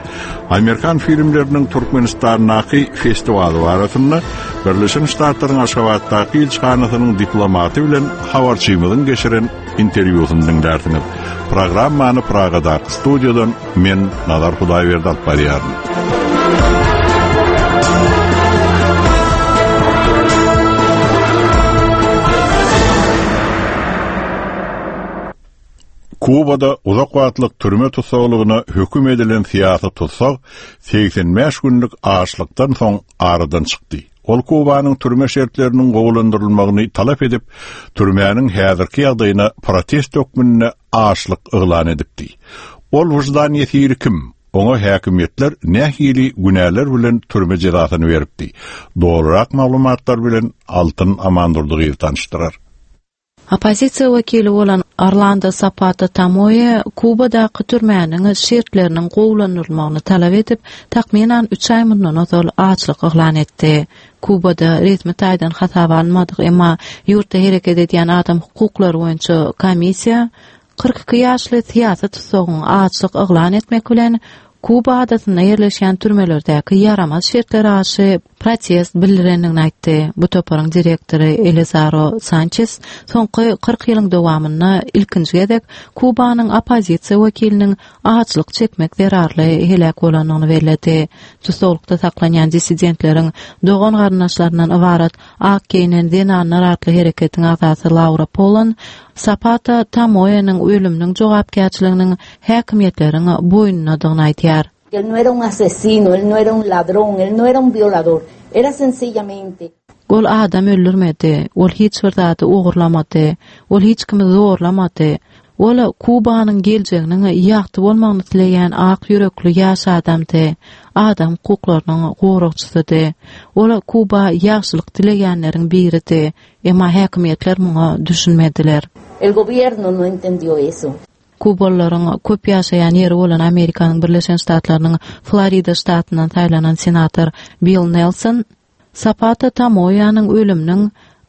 Amerikan filmleriniň Türkmenistandaky festiwaly barasynda Birleşen Ştatlaryň Aşgabatdaky ilçihanasynyň diplomaty bilen habarçymyzyň geçiren interwýusyny diňlärsiňiz. Programmany Pragadaky studiýadan men Nazar Hudaýberdi alyp barýaryn. Kubada uzak wagtlyk türme tussaglygyna höküm edilen syýasy tussag segsen bäş günlük açlykdan soň aradan çykdy. Ol Kubanyň türme şertleriniň gowulandyrylmagyny talap edip, türmäniň häzirki ýagdaýyna protest hökmünde açlyk yglan edipdi. Ol wyždan ýesiri kim? Oňa häkimiýetler nähili günäler bilen türme jezasyny beripdi? Dogrurak maglumatlar bilen Altyn Amandurdygyz tanyşdyrar. Oppozisiýa wekili bolan Orlando Zapata Tamoýe Kubadaky türmäniň şertleriniň gowulandyrylmagyny talap edip, takmynan üç aý mundan ozal açlyk yglan etdi. Kubada resmi taýdan hasaba alynmadyk, emma ýurtda hereket edýän adam hukuklary boýunça komissiýa kyrk iki ýaşly syýasy tutsagyň açlyk yglan etmek bilen Kuba adasynda ýerleşýän türmelerdäki ýaramaz şertlere garşy protest bildirendigini aýtdy. Bu toparyň direktory Elizaro Sanchez soňky kyrk ýylyň dowamynda ilkinji gezek Kubanyň oppozisiýa wekiliniň açlyk çekmek zerarly heläk bolandygyny belledi. Tussaglykda saklanýan dissidentleriň dogan garyndaşlaryndan ybarat Ak geýnen zenanlar atly hereketiň agzasy Laura Polan Zapata Tamoýeniň ölüminiň jogapkärçiliginiň häkimiýetleriň boýnundadygyny aýdýar. Él no era un asesino, él no era un ladrón, él no era un violador. Era sencillamente Ol adam öldürmedi, ol hiç bir zady ogurlamady, ol hiç kimi zorlamady. Ol Kubanyň geljeginiň ýagty bolmagyny isleýän ak ýürekli ýaş adamdy, adam hukuklarynyň goragçysydy. Ol Kuba ýagşylyk dileýänleriň biridi, emma häkimiýetler muňa düşünmediler. El gobierno no entendió eso. Kubalylaryň köp ýaşaýan ýeri bolan Amerikanyň Birleşen Ştatlarynyň Florida ştatyndan saýlanan senator Bill Nelson Zapata Tamoýanyň ölüminiň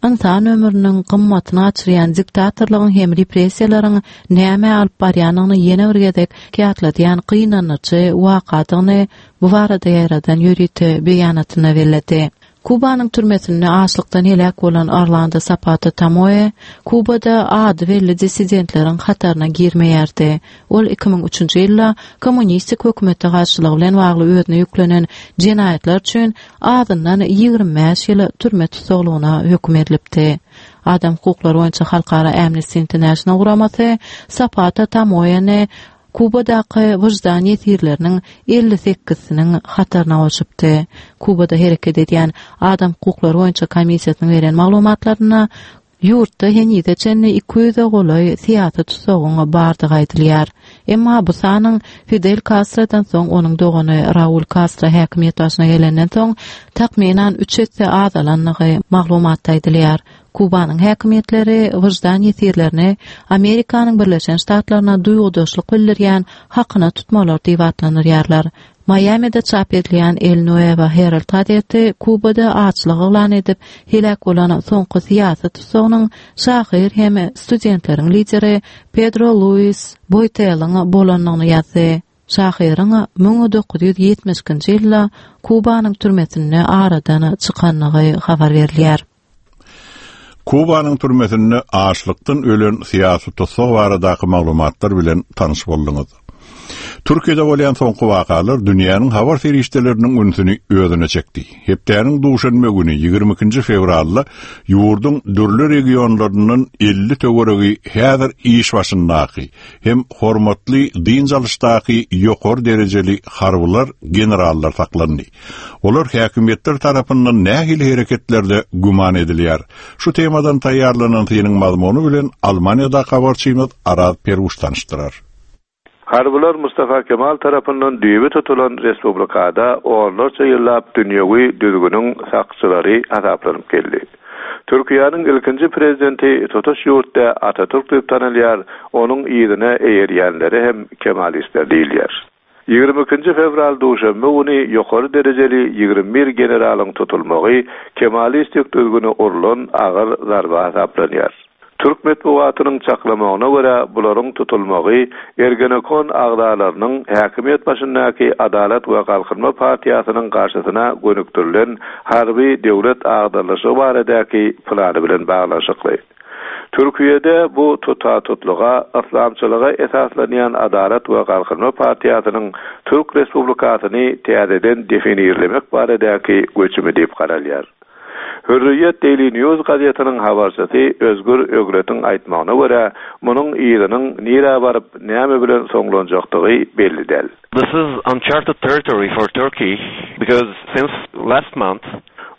ynsan ömrüniň gymmatyny gaçyrýan diktatorlygyň hem repressiýalaryň nämä alyp barýandygyny ýene bir gezek ýatladýan gynandyryjy wakadygyny bu barada ýaýradan ýörite beýanatynda belledi. Kubanyň türmesinde açlykdan heläk bolan Orlando Zapata Tamoýe Kubada ady belli dissidentleriň hataryna girmeýärdi. Ol iki müň üçünji ýylda kommunistik hökümete garşylygy bilen bagly özüne ýüklenen jenaýatlar üçin azyndan ýigrimi bäş ýyl türme tussaglygyna höküm edilipdi. Adam hukuklary boýunça halkara Amnesty International guramasy Zapata Tamoýeni Kubadaky wyždan ýesirleriniň elli sekizsiniň hataryna goşupdy. Kubada hereket edýän Adam hukuklary boýunça komissiýasynyň beren maglumatlarynda ýurtda henize çenli iki ýüze golaý syýasy tutsagyň bardygy aýdylýar. Emma bu sanyň Fidel Kastrodan soň onuň dogany Raul Kastro häkimiýet başyna gelenden soň takmynan üç esse azalandygy maglumatda aýdylýar. Kubanyň häkimiýetleri wyždan ýesirlerini Amerikanyň Birleşen Ştatlaryna duýgudaşlyk bildirýän hakyna tutmalar diýip atlandyrýarlar. Miami'de çap edilýän El Nuevo Herald gazeti Kubada açlyk yglan edip, heläk bolan soňky syýasy tutsagynyň şahyr hem studentleriň lideri Pedro Luis Boiteliň bolandygyny ýazdy. Şahyryň müň dokuz ýüz ýetmiş ikinji ýylda Kubanyň türmesinde aradan çykandygy habar berilýär. Kubanyň türmesinde açlykdan ölen syýasy tussag baradaky maglumatlar bilen tanyş bolduňyz. Türkiýede bolýan soňky wakalar dünýäniň habar serişdeleriniň ünsüni özüne çekdi. Hepdäniň duşenbe güni ýigrimi ikinji fewralda ýurduň dürli regionlaryndan elli töweregi häzir iş başyndaky hem hormatly dynç alyşdaky ýokary derejeli harbylar, generallar saklandy. Olar häkimiýetler tarapyndan nähili hereketlerde güman edilýär. Şu temadan taýýarlanan synyň mazmuny bilen Almaniýada habarçymyz Araz Peruş tanyşdyrar. Harbylar Mustafa Kemal tarapyndan düýbi tutulan respublikada onlarça ýyllap dünýewi düzgüniň sakçylary hasaplanyp geldi. Türkiýäniň ilkinji prezidenti tutuş ýurtda Atatürk diýip tanalýar, onuň yzyna eýerýänleri hem Kemalistler diýilýär. Ýigrimi ikinji fewral duşenbe güni ýokary derejeli ýigrimi bir generalyň tutulmagy Kemalistik düzgüne urlan agyr zarba hasaplanýar. Türk metbugatynyň çaklamagyna görä bularyň tutulmagy Ergenekon agzalarynyň häkimiýet başyndaky Adalat we Galkynma partiýasynyň garşysyna gönükdirilen harby döwlet agdarlyşygy baradaky plany bilen baglanyşykly. Türkiýede bu tuta-tutluga yslamçylyga esaslanýan Adalat we Galkynma partiýasynyň Türk Respublikasyny täzeden definirlemek baradaky göçümi diýip garalýar. Hürriýet Daily News gazetiniň habarçysy Özgür Ögretiň aýtmagyna görä, munuň yzynyň nirä baryp, näme bilen soňlanjakdygy belli däl. This is uncharted territory for Turkey because since last month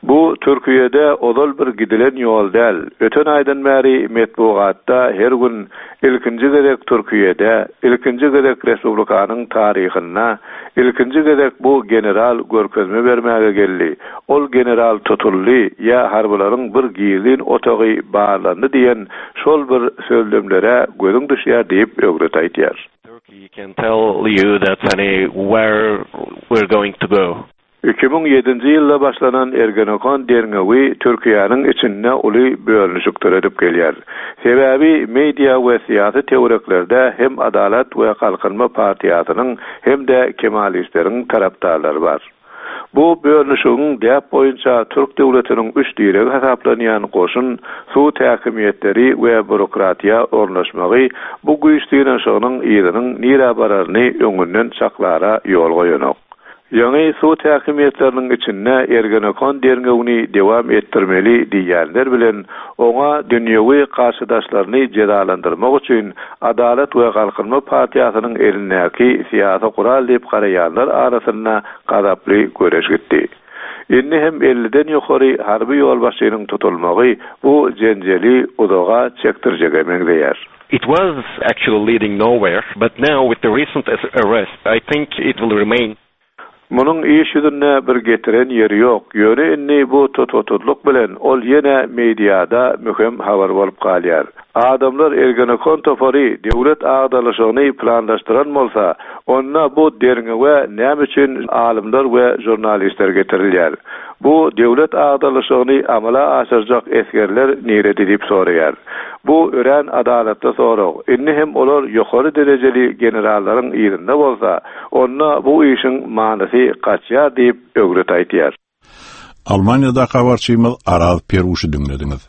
Bu Türkiýede ozal bir gidilen ýol däl. Öten aýdan bäri metbugatda her gün ilkinji gezek Türkiýede, ilkinji gezek Respublikanyň taryhynda, ilkinji gezek bu general görkezme bermäge geldi. Ol general tutuldy ýa harbylaryň bir gizlin otagy barlandy diýen şol bir sözlemlere gözüň düşýär diýip Ögret aýtýar. Turkey can tell you that any where we're going to go. Iki müň ýedinji ýylda başlanan Ergenekon derňewi Türkiýäniň içinde uly bölünişik döredip gelýär. Sebäbi media we syýasy töwereklerde hem Adalat we Galkynma partiýasynyň hem-de Kemalistleriň tarapdarlary bar. Bu bölünişigiň däp boýunça Türk döwletiniň üç diregi hasaplanýan goşun, suw häkimiýetleri we bürokratiýa ornaşmagy bu güýç synanyşygynyň yzynyň nirä bararyny öňünden çaklara ýol goýanok. Ýaňy suw häkimiýetleriniň içinde Ergenekon derňewini dewam etdirmeli diýenler bilen oňa dünýewi garşydaşlaryny jezalandyrmak üçin Adalat we Galkynma partiýasynyň elindäki syýasy gural diýip garaýanlar arasynda gazaply göreş gitdi. Indi hem elliden ýokary harby ýolbaşçynyň tutulmagy bu jenjeli uzaga çekdirjege meňzeýär. It was actually leading nowhere, but now with the recent arrest, I think it will remain. Munuň iş ýüzünde bir getiren ýeri ýok. Ýöne indi bu tututlyk bilen ol ýene mediada möhüm habar bolup galýar. Adamlar Ergenekon topary döwlet agdarlyşygyny planlaşdyran bolsa, onda bu derňewe näme üçin alymlar we žurnalistler getirilýär? Bu döwlet agdarlyşygyny amala aşyrjak esgerler nirede diýip soraýar. Bu örän adalatly sorag. Indi hem olar ýokary derejeli generallaryň ýerinde bolsa, onda bu işiň manysy gaçýar diýip Ögret aýtýar. Almaniýada habarçymyz Araz Peruşy diňlediňiz.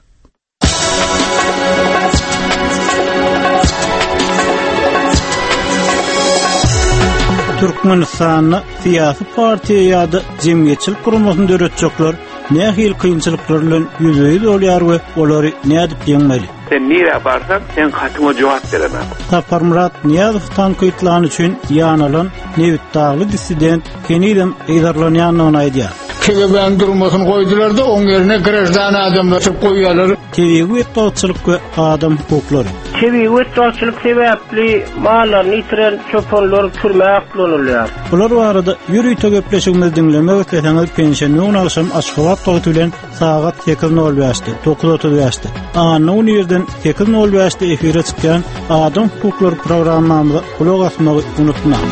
Türkmenistanda syýasy partiýa ýa-da jemgyýetçilik guramasyny döretjekler nähili kynçylyklar bilen ýüzbe-ýüz bolýar we olary nädip ýeňmeli? Sen nirä barsaň, sen hatyňa jogap beremem. Saparmyrat Nyýazow tankytlany üçin ýanalan Nebitdagly dissident henizem yzarlanýandygyny aýdýar. K G B-niň durmasyny goýdular da oň ýerine grajdan adamlar çykyp goýýarlar. Tebigy betbagtçylyk we adam hukuklary. Tebigy betbagtçylyk sebäpli mallaryny ýitiren çopanlar türmä aklanylýar. Bular barada ýörite gepleşigimizi diňlemek isleseňiz penşenbe güni agşam Aşgabat wagty bilen sagat sekiz nol bäşde, dokuz otuz bäşde, anna güni irden sekiz nol bäşde efire çykýan Adam hukuklary programmamyza gulak asmagy unutmaň.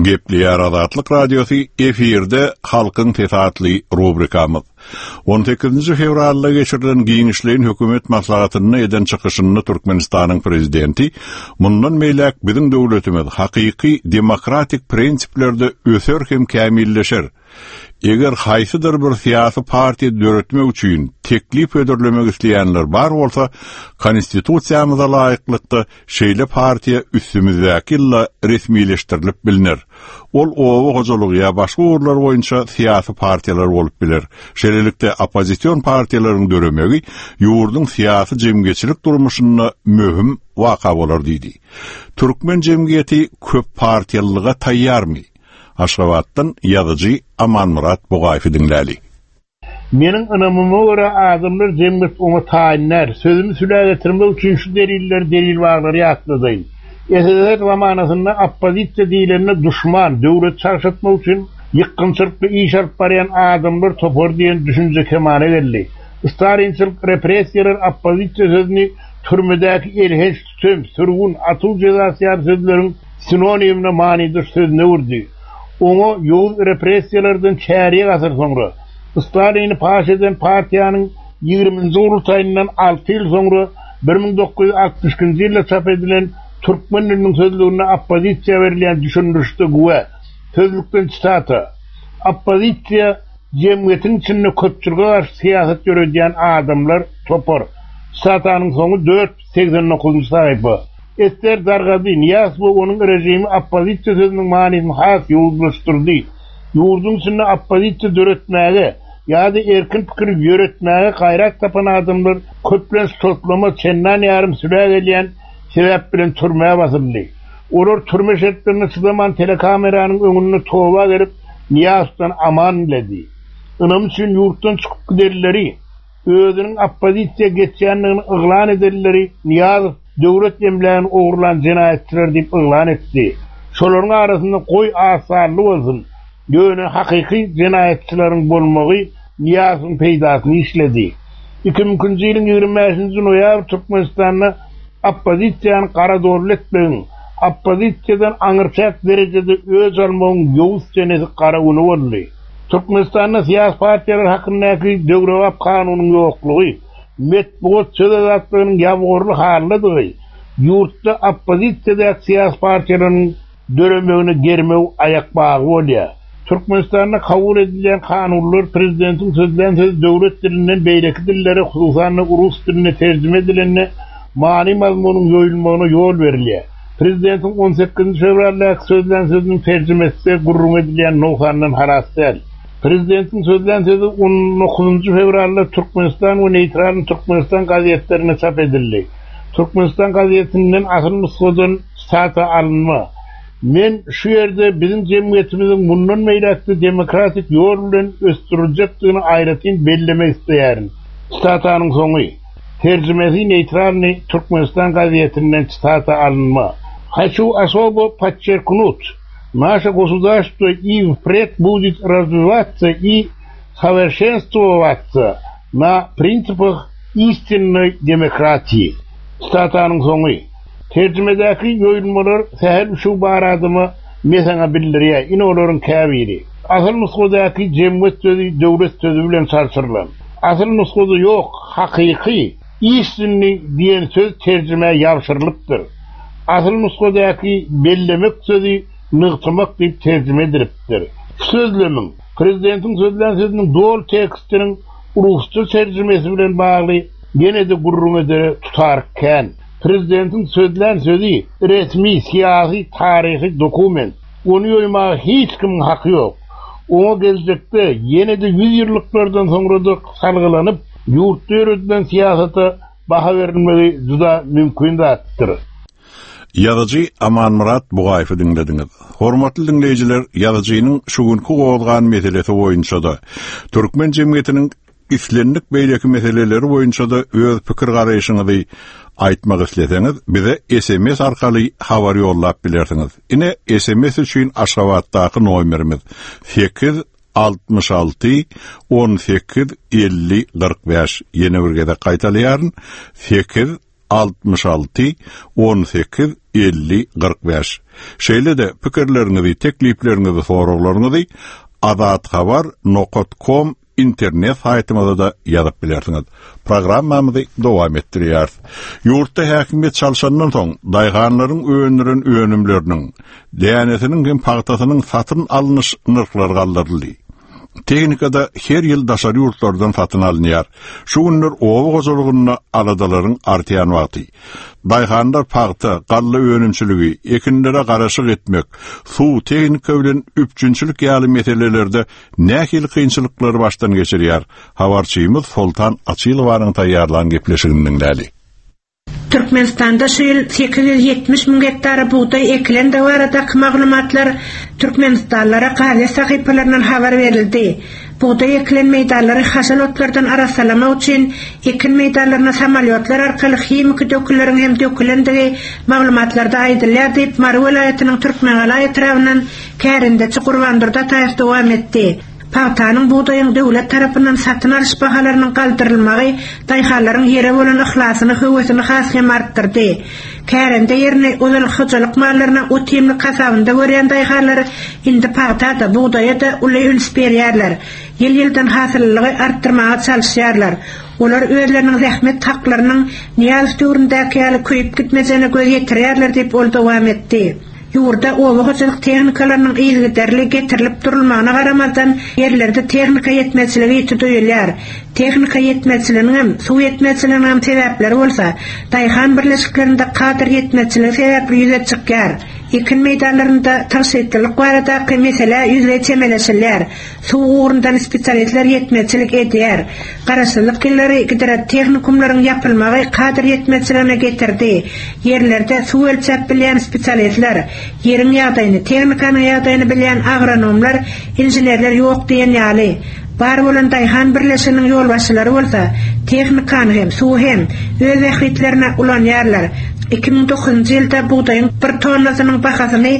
Gepleýär Azatlyk Radiosy efirde Halkyň Sesi atly rubrikamyz. On sekizinji fewralda geçirilen giňişleýin hökümet maslahatynda eden çykyşynda Türkmenistanyň prezidenti mundan beýläk biziň döwletimiz hakyky demokratik prinsiplerde öser hem kämilleşer. Eger haýsydyr bir syýasy partiýa döretmek üçin teklip hödürlemek isleýänler bar bolsa, konstitusiýamyza laýyklykda şeýle partiýa üstümizdäki ýylda resmileşdirilip bilner. Ol oba hojalygy ýa başga ugurlar boýunça syýasy partiýalar bolup biler. Şeýlelikde oppozision partiýalaryň döremegi ýurduň syýasy jemgyýetçilik durmuşynda möhüm waka bolar diýdi. Türkmen jemgyýeti köp partiýalylyga taýýarmy? Aşgabatdan ýazyjy Amanmyrat Bugaýewi diňläli. Meniň ynamyma görä adamlar jemgyýet oňa taýyn däl. Sözümi sülä getirmek üçin şu delilleri delil baglary ýatladaýyn. S S S R zamanasynda oppozisiýa diýlende duşman, döwlet çarşatmak üçin ýykgynçylykly iş alyp barýan adamlar topar diýen düşünje kemala geldi. Stalinçilik repressiýalar oppozisiýa sözüni türmedäki elhenç tütem, sürgün, atuw jezasy ýaly sözleriň sinonimine manydaş sözüne öwürdi. Oňa ýowuz repressiýalardan çärýek asyr soňra Stalini paş eden partiýanyň ýigriminji gurultaýyndan alty ýyl soňra bir müň dokuz ýüz altmyş ikinji ýylda çap edilen Türkmen diliniň sözlüginde oppozisiýa berilýän düşündirişde güwä. Sözlükden çitata. Oppozisiýa jemgyýetiň içinde köpçülige garşy syýasat ýöredýän adamlar topar. Çitatanyň soňy dört ýüz segsen dokuzynjy sahypa. S S R dargady, Nyýazow we onuň režimi oppozisiýa sözüniň manysyny has ýowuzlaşdyrdy. Ýurduň içinde oppozisiýa döretmäge ýa-da erkin pikir ýöretmäge gaýrat tapan adamlar köplenç toplama çendan ýarym sülä gelýän sebäp bilen türmä basyldy. Olar türme şertlerine çydaman telekameranyň öňünde toba gelip Nyýazowdan aman diledi. Ynam üçin ýurtdan çykyp gidenleri, özüniň oppozisiýa geçýändigini yglan edenleri Nyýazow döwlet emlägini ogurlan jenaýatçylar diýip yglan etdi. Şolaryň arasynda goý az sanly bolsun, ýöne hakyky jenaýatçylaryň bolmagy Nyýazowyň peýdasyny işledi. Iki müň ikinji ýylyň ýigrimi bäşinji noýabr Türkmenistanda oppozisiýany garadorly etmegiň, oppozisiýadan aňyrçäk derejede öç almagyň ýowuz senesi gara güni boldy. Türkmenistanda syýasy partiýalar hakyndaky döwrebap kanunyň ýoklugy, metbugat söz azatlygynyň ýabgorly haldadygy, ýurtda oppozisiýadaky syýasy partiýalaryň döremegine germew aýak bagy bolýar. Türkmenistanda kabul edilýän kanunlar prezidentiň sözlän sözi döwlet dilinden beýleki dillere, hususan-da rus diline terjime edilende many mazmunyň ýoýulmagyna ýol berilýär. Prezidentiň on sekizinji fewraldaky sözlän sözüniň terjimesi gürrüň edilýän nogsandan halas däl. Prezidentiň sözlän sözi on dokuzynjy fewralda Türkmenistan we Neýtral Türkmenistan gazetlerinde çap edildi. Türkmenistan gazetinden asyl nusgadan sitata alynma. Men şu ýerde biziň jemgyýetimiziň mundan beýläk-de demokratik ýol bilen ösdüriljekdigini aýratyn bellemek isleýärin. Sitatanyň soňy. Terjimesi Neýtralny Türkmenistan gazetinden sitata alynma. Хочу особо подчеркнуть, наше государство и впредь будет развиваться и совершенствоваться на принципах истинной demokratiýi. Sitatanyň soňy. Terjimedäki ýoýulmalar sähel şu baradyma mesaňa bildirýär. Ine olaryň käbiri. Asyl nusgadaky jemgyýet sözi döwlet sözi bilen çarşyrylan. Asyl nusgada ýok, hakyky istinni diýen söz terjime ýapşyrylypdyr. Asyl nusgadaky bellemek sözi nygtamak diýip terjime edilipdir. Sözlemiň prezidentiň sözlän sözüniň dol tekstiniň rusça terjimesi bilen bagly ýene-de gürrüň edere tutar kän. Prezidentiň sözlän sözi resmi, syýasy, taryhy dokument. Ony ýoýmaga hiç kimiň haky ýok. Oňa geljekde ýene-de ýüz ýyllyklardan soňra da salgylanyp, ýurtda ýöredilen syýasata baha berilmegi juda mümkin zatdyr. Ýazyjy Amanmyrat Bugaýewi diňlediňiz. Hormatly diňleýjiler, ýazyjynyň şu günki gozgan meselesi boýunça-da, türkmen jemgyýetiniň islendik beýleki meseleleri boýunça-da öz pikir garaýşyňyzy aýtmak isleseňiz, bize S M S arkaly habar ýollap bilersiňiz. Ine S M S üçin Aşgabatdaky nomerimiz sekiz altmyş alty on sekiz elli kyrk bäş. Ýene bir gezek gaýtalaýaryn. Sekiz altmyş alty on sekiz elli kyrk bäş. Şeýle-de pikirleriňizi, teklipleriňizi, soraglaryňyzy azathabar nokta com internet saýtymyzda da ýazyp bilersiňiz. Programmamyzy dowam etdirýäris. Ýurtda häkimiýet çalşandan soň daýhanlaryň öndüren önümleriniň, dänesiniň hem pagtasynyň satyn alnyş nyrhlary galdyryldy. Tehnika-da her ýyl daşary ýurtlardan satyn alynýar. Şu günler oba hojalygynda aladalaryň artýan wagty. Daýhanlar pagta, galla önümçiligi, ekinlere garaşyk etmek, suw, tehnika bilen üpjünçilik ýaly meselelerde nähili kynçylyklary başdan geçirýär? Habarçymyz Soltan Açylowanyň taýýarlan gepleşigini diňläli. Türkmenistanda şu ýyl sekiz ýüz ýetmiş müň gektara bugdaý ekilendigi baradaky maglumatlar türkmenistanlylara gazet sahypalaryndan habar berildi. Bugdaý ekilen meýdanlary haşal otlardan arassalamak üçin ekin meýdanlaryna samolýotlar arkaly himiki dökünleriň hem dökülendigi maglumatlarda aýdylýar diýip, Mary welaýatynyň Türkmengala etrabyndan kärendeçi Gurbandurdy Ataýew dowam etdi. Pagtanyň, bugdaýyň döwlet tarapyndan satyn alyş bahalarynyň galdyrylmagy daýhanlaryň ýere bolan yhlasyny, höwesini has hem artdyrdy. Kärende ýerini ozal hojalyk mallaryna ot-iýmlik hasabynda görýän daýhanlar indi pagta-da, bugdaýa-da uly üns berýärler. Ýyl-ýyldan hasyllylygy artdyrmaga çalyşýarlar. Olar özleriniň zähmet haklarynyň Nyýazow döwründäki ýaly köýüp gitmejegine göz ýetirýärler diýip, ol dowam etdi. Ýurda oba hojalyk tehnikalarynyň yzygiderli getirilip durulmagyna garamazdan, ýerlerde tehnika ýetmezçiligi ýiti duýulýar. Tehnika ýetmezçiliginiňem, suw ýetmezçiliginiňem sebäpleri bolsa, daýhan birleşiklerinde kadr ýetmezçiligi sebäpli ýüze çykýar. Ekin meýdanlarynda tygşytlylyk baradaky meselä ýüzleý çemeleşilýär. Suw ugrundan spesialistler ýetmezçilik edýär. Garaşsyzlyk ýyllary gidrotehnikumlaryň ýapylmagy kadr ýetmezçiligine getirdi. Ýerlerde suw ölçäp bilýän spesialistler, ýeriň ýagdaýyny, tehnikanyň ýagdaýyny bilýän agronomlar, inženerler ýok diýen ýaly. Bar bolan daýhan birleşiginiň ýolbaşçylary bolsa, tehnikany hem, suwy hem öz bähbitlerine ulanýarlar. Iki müň dokuzynjy ýylda bugdaýyň bir tonnasynyň bahasyny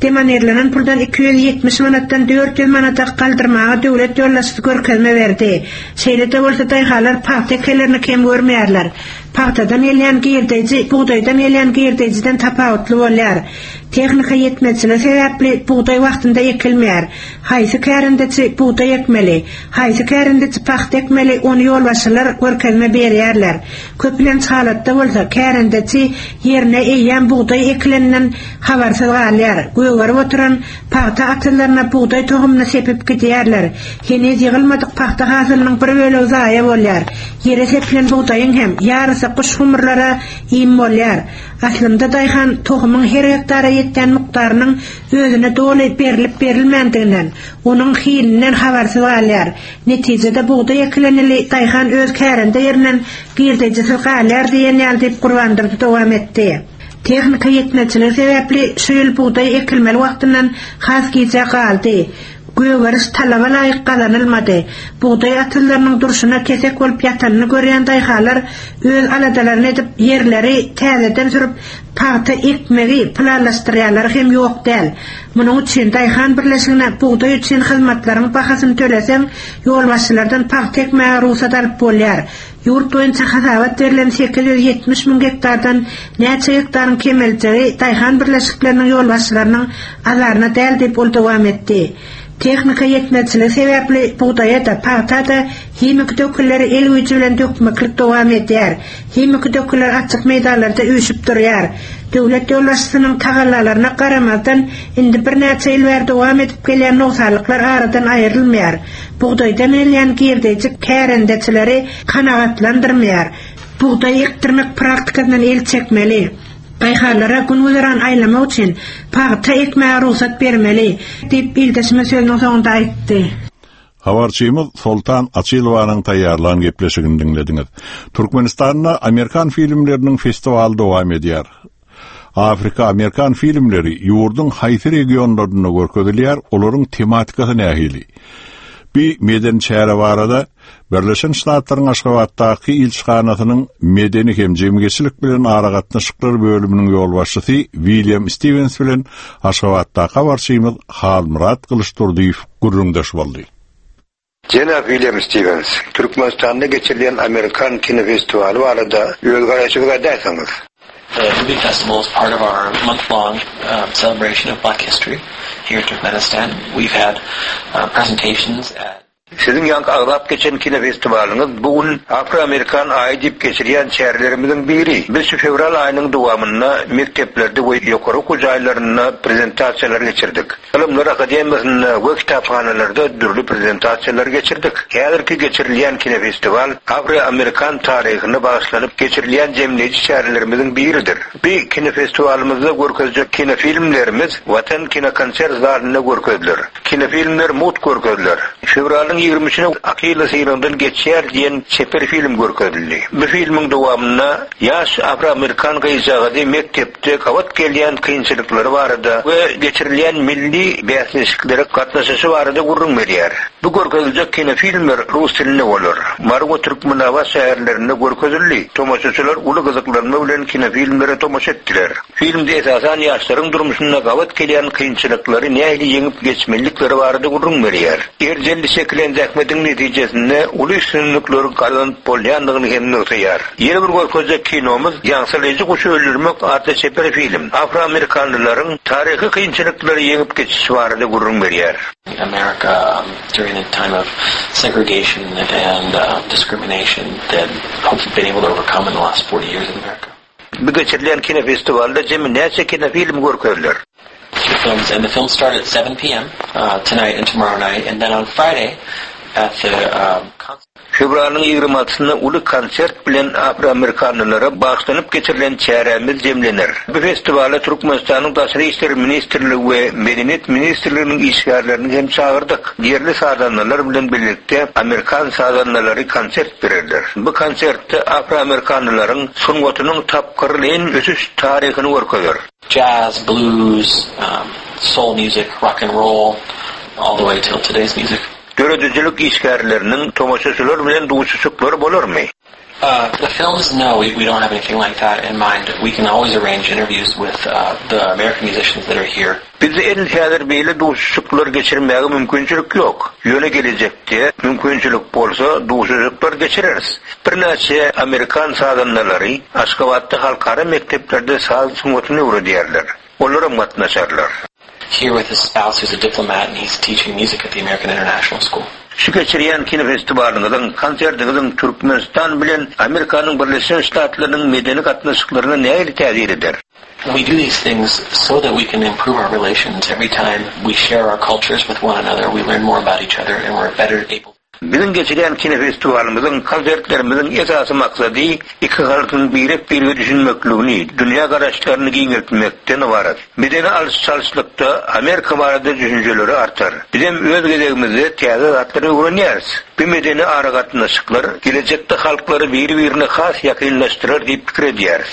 demonirlenen puldan iki ýüz ýetmiş manatdan dört ýüz manada galdyrmaga döwlet ýolbaşçysy görkezme berdi. Şeýle-de bolsa daýhanlar pagta ekenlerini kem görmeýärler. Pagtadan gelýän girdeji bugdaýdan gelýän girdejiden tapawutly bolýar. Tehnika ýetmezçiligi sebäpli bugdaý wagtynda ekilmeýär. Haýsy kärendeçi bugdaý ekmeli, haýsy kärendeçi pagta ekmeli ony ýolbaşçylar görkezme berýärler. Köplenç halatda bolsa kärendeçi ýerine eýýäm bugdaý ekileninden habarsyz galýar. Gögerip oturan pagta atyzlaryna bugdaý tohumyny sepip gidýärler. Heniz ýygylmadyk pagta hasylynyň bir bölegi zaýa bolýar. Ýere sepilen bugdaýyň hem ýarysy guş-gumurlara iým bolýar. Aslynda daýhan tohumyň her gektara ýetýän mukdarynyň özüne doly berlip-berilmändiginden, onuň hilinden habarsyz galýar. Netijede bugdaý ekilen ýyly daýhan öz kärende ýerinden girdejisiz galýar diýen ýaly diýip Gurbandurdy dowam etdi. Tehnika ýetmezçiligi sebäpli şu ýyl bugdaý ekilmeli wagtyndan has gijä galdy. Gögeriş talaba laýyk gazanylmady. Bugdaý atyzlarynyň durşuna kesek bolup ýatanyny görýän daýhanlar öz aladalaryny edip, ýerleri täzeden sürüp, pagta ekmegi planlaşdyrýanlary hem ýok däl. Munuň üçin daýhan birleşigine bugdaý üçin hyzmatlaryň bahasyny töleseň, ýolbaşçylardan pagta ekmäge rugsat alyp bolýar. Ýurt boýunça hasabat berlen sekiz ýüz ýetmiş müň gektardan näçe gektaryň kemeljegi daýhan birleşikleriniň ýolbaşçylarynyň azaryna däl diýip, ol dowam etdi. Tehnika ýetmezçiligi sebäpli bugdaýa-da, pagta-da himiki dökünleri el güýji bilen dökmeklik dowam edýär. Himiki dökünler açyk meýdanlarda üýşüp durýar. Döwlet ýolbaşçysynyň tagallalaryna garamazdan, indi birnäçe ýyl bäri dowam edip gelýän nogsanlyklar aradan aýrylmaýar. Bugdaýdan gelýän girdeji kärendeçileri kanagatlandyrmaýar. Bugdaý ekdirmek praktikasyndan el çekmeli. Daýhanlara gün-güzeran aýlamak üçin pagta ekmäge rugsat bermeli, diýip, ildeşimiz sözüniň soňunda aýtdy. Habarçymyz Soltan Açylowanyň taýýarlan gepleşigini diňlediňiz. Türkmenistanda amerikan filmleriniň festiwaly dowam edýär. Afrika-amerikan filmleri ýurduň haýsy regionlarynda görkezilýär, olaryň tematikasy nähili? Bi medeni çäre barada Birleşen Ştatlaryň Aşgabatdaky ilçihanasynyň medeni hem jemgyýetçilik bilen aragatnaşyklar bölüminiň ýolbaşçysy William Stewens bilen Aşgabatdaky habarçymyz Halmyrat Gylyçdurdyýew gürrüňdeş boldy. Jenap William Stewens, Türkmenistanda geçirilýän amerikan kinofestiwaly barada öz garaýşyňyzy aýdaýsaňyz? The movie festival is part of our month-long um, celebration of Black history here in Turkmenistan. We've had uh, presentations at Siziň ýaňky agzap geçen kinofestiwalyňyz bu gün Afro-Amerikan aýy diýip geçirýän çärelerimiziň biri. Biz şu fewral aýynyň dowamynda mekdeplerde we ýokary okuw jaýlarynda prezentasiýalar geçirdik. Ylymlar akademiýasynda we kitaphanalarda dürli prezentasiýalar geçirdik. Häzirki geçirilýän kinofestiwal Afro-Amerikan taryhyna bagyşlanyp geçirilýän jemleýji çärelerimiziň biridir. Bi kinofestiwalymyzda görkezjek kinofilmlerimiz Watan kinokonsert zalynda görkeziler. Kinofilmler mugt görkeziler. Fewralyň ýigrimi üçüne Akilla synagdan geçýär diýen çeper film görkezildi. Bu filmiň dowamynda ýaş afroamerikan gyzjagazy mekdepde gabat gelýän kynçylyklary barada we geçirilýän milli bäsleşiklere gatnaşyşy barada gürrüň berýär. Bu görkeziljek kinofilmler rus dilinde bolar. Mary we Türkmenabat şäherlerinde görkezildi. Tomaşaçylar uly gyzyklanma bilen kinofilmlere tomaşa etdiler. Filmde esasan ýaşlaryň durmuşynda gabat gelýän kynçylyklary nähili ýeňip geçmelilikleri barada gürrüň berýär. Erjelli çekilen zähmetiň netijesinde uly üstünlikleri gazanyp bolýandygyny hem nygtaýar. Ýene bir görkezjek kinomyz Ýaňsylaýjy guşy öldürmek atly çeper film. Afroamerikanlylaryň taryhy kynçylyklary ýeňip geçişi barada gürrüň berýär. America um, during the time of segregation and uh, discrimination that hopefully been able to overcome in the last forty years in America. Bu geçirilen kinofestiwalda jemi näçe kinofilm görkeziler? Two films, and the films start at seven P M, uh, tonight and tomorrow night, and then on Friday at the, um, concert. Fewralyň ýigrimi altysynda uly konsert bilen afroamerikanlylara bagyşlanyp geçirilen çärämiz jemlener. Bu festiwala Türkmenistanyň Daşary işler ministrligi we Medeniýet ministrliginiň işgärlerini hem çagyrdyk. Ýerli sazandalar bilen birlikde amerikan sazandalary konsert bererler. Bu konsertde afroamerikanlylaryň sungatynyň tapgyrlaýyn ösüş taryhyny görkezer. Jazz, blues, um, soul music, rock and roll, all the way till today's music. Döredijilik işgärleriniň tomaşaçylar bilen duşuşyklary bolarmy? Uh, the films, no, we, we don't have anything like that in mind. We can always arrange interviews with, uh, the American musicians that are here. Bizde edil häzir beýle duşuşyklar geçirmäge mümkinçilik ýok. Ýöne gelejekde mümkinçilik bolsa duşuşyklar geçireris. Birnäçe amerikan sazandalary Aşgabatda halkara mekdeplerde saz sungatyny öwredýärler. Olaram gatnaşarlar. Here with his spouse who's a diplomat and he's teaching music at the American International School. Şu geçirýän kinofestiwalyňyzyň, konsertiňiziň Türkmenistan bilen Amerikanyň Birleşen Ştatlarynyň medeni gatnaşyklaryna nähili täsir eder? We do these things so that we can improve our relations. Every time we share our cultures with one another, we learn more about each other and we're better able. Biziň geçirýän kinofestiwalymyzyň, konsertlerimiziň esasy maksady iki halkyň birek-birege düşünmekligini, dünýä garaşlaryny giňeltmekden ybarat. Medeni alyş-çalyşlykda Amerika barada düşünjeleri artar. Bizem öz gezegimizde täze zatlary öwrenýäris. Bu medeni aragatnaşyklar gelejekde halklary biri-birine has ýakynlaşdyrar diýip pikir edýäris.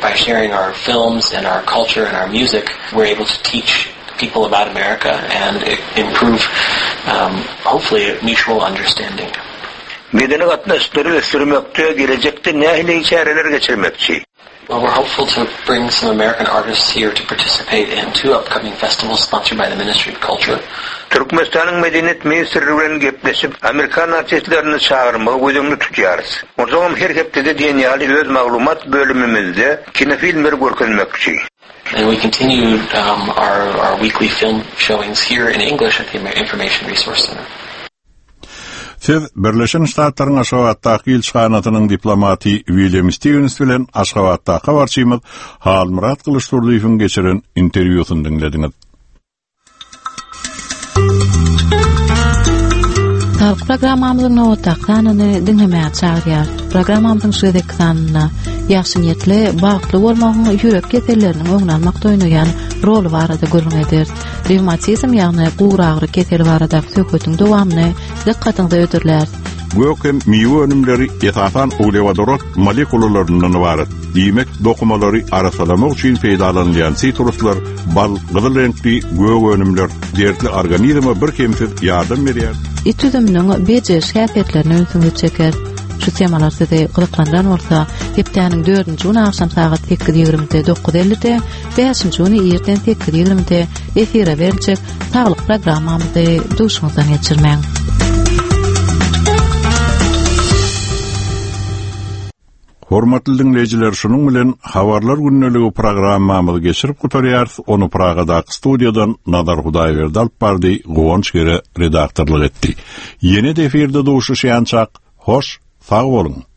By sharing our films and our culture and our music, we're able to teach people about America and improve, um, hopefully, mutual understanding. Medeni gatnaşyklary ösdürmekde gelejekde nähili çäreler geçirmekçi? Well, we're hopeful to bring some American artists here to participate in two upcoming festivals sponsored by the Ministry of Culture. Türkmenistanyň Medeniýet ministrligi bilen gepleşip, Amerikan artistlerini çagyrmagy göz öňünde tutýarys. Onsoňam her hepdede diýen ýaly öz maglumat bölümimizde kinofilmleri görkezmekçi. And we continue, um, our, our weekly film showings here in English at the Information Resource Center. Siz Birleşen Ştatlaryň Aşgabatdaky ilçihanasynyň diplomaty William Stevens bilen Aşgabatdaky habarçymyz Halmyrat Gylyçdurdyýewiň geçiren interwýusyny diňlediňiz. Saglyk programmamyzyň nobatdaky sanyny diňlemäge çagyrýar. Programmamyzyň şu gezekki sanynda ýagşy niýetli, bagtly bolmagyň ýürek keselleriniň öňüni almakda oýnaýan roly barada gürrüň ederis. Revmatizm ýagny guragyry keseli baradaky söhbetiň dowamyny dykgatyňyza ödürläris. Gök hem miwe önümleri esasan uglewodorod molekulalaryndan ybarat. Diýmek, dokumalary arasalamak üçin peýdalanylýan sitruslar, bal, gyzyl reňkli gök önümler dertli organizme bir kemsiz ýardam berýär. It üzüminiň bejeriş häsiýetlerini ünsüňizi çeker. Şu temalar sizi gyzyklandyran bolsa, hepdäniň dördünji güni agşam sagat sekiz ýigrimide, dokuz ellide, bäşinji güni irden sekiz ýigrimide efire beriljek saglyk programmamyzy duşuňyzdan geçirmäň. Hormatly diňleýjiler, şunuň bilen Habarlar gündeligi programmamyzy geçirip gutarýarys. Ony Pragadaky studiýadan Nazar Hudaýberdi alyp bardy, Guwanç Gere redaktorlyk etdi. Ýene-de efirde duşuşýançak, hoş, sag boluň.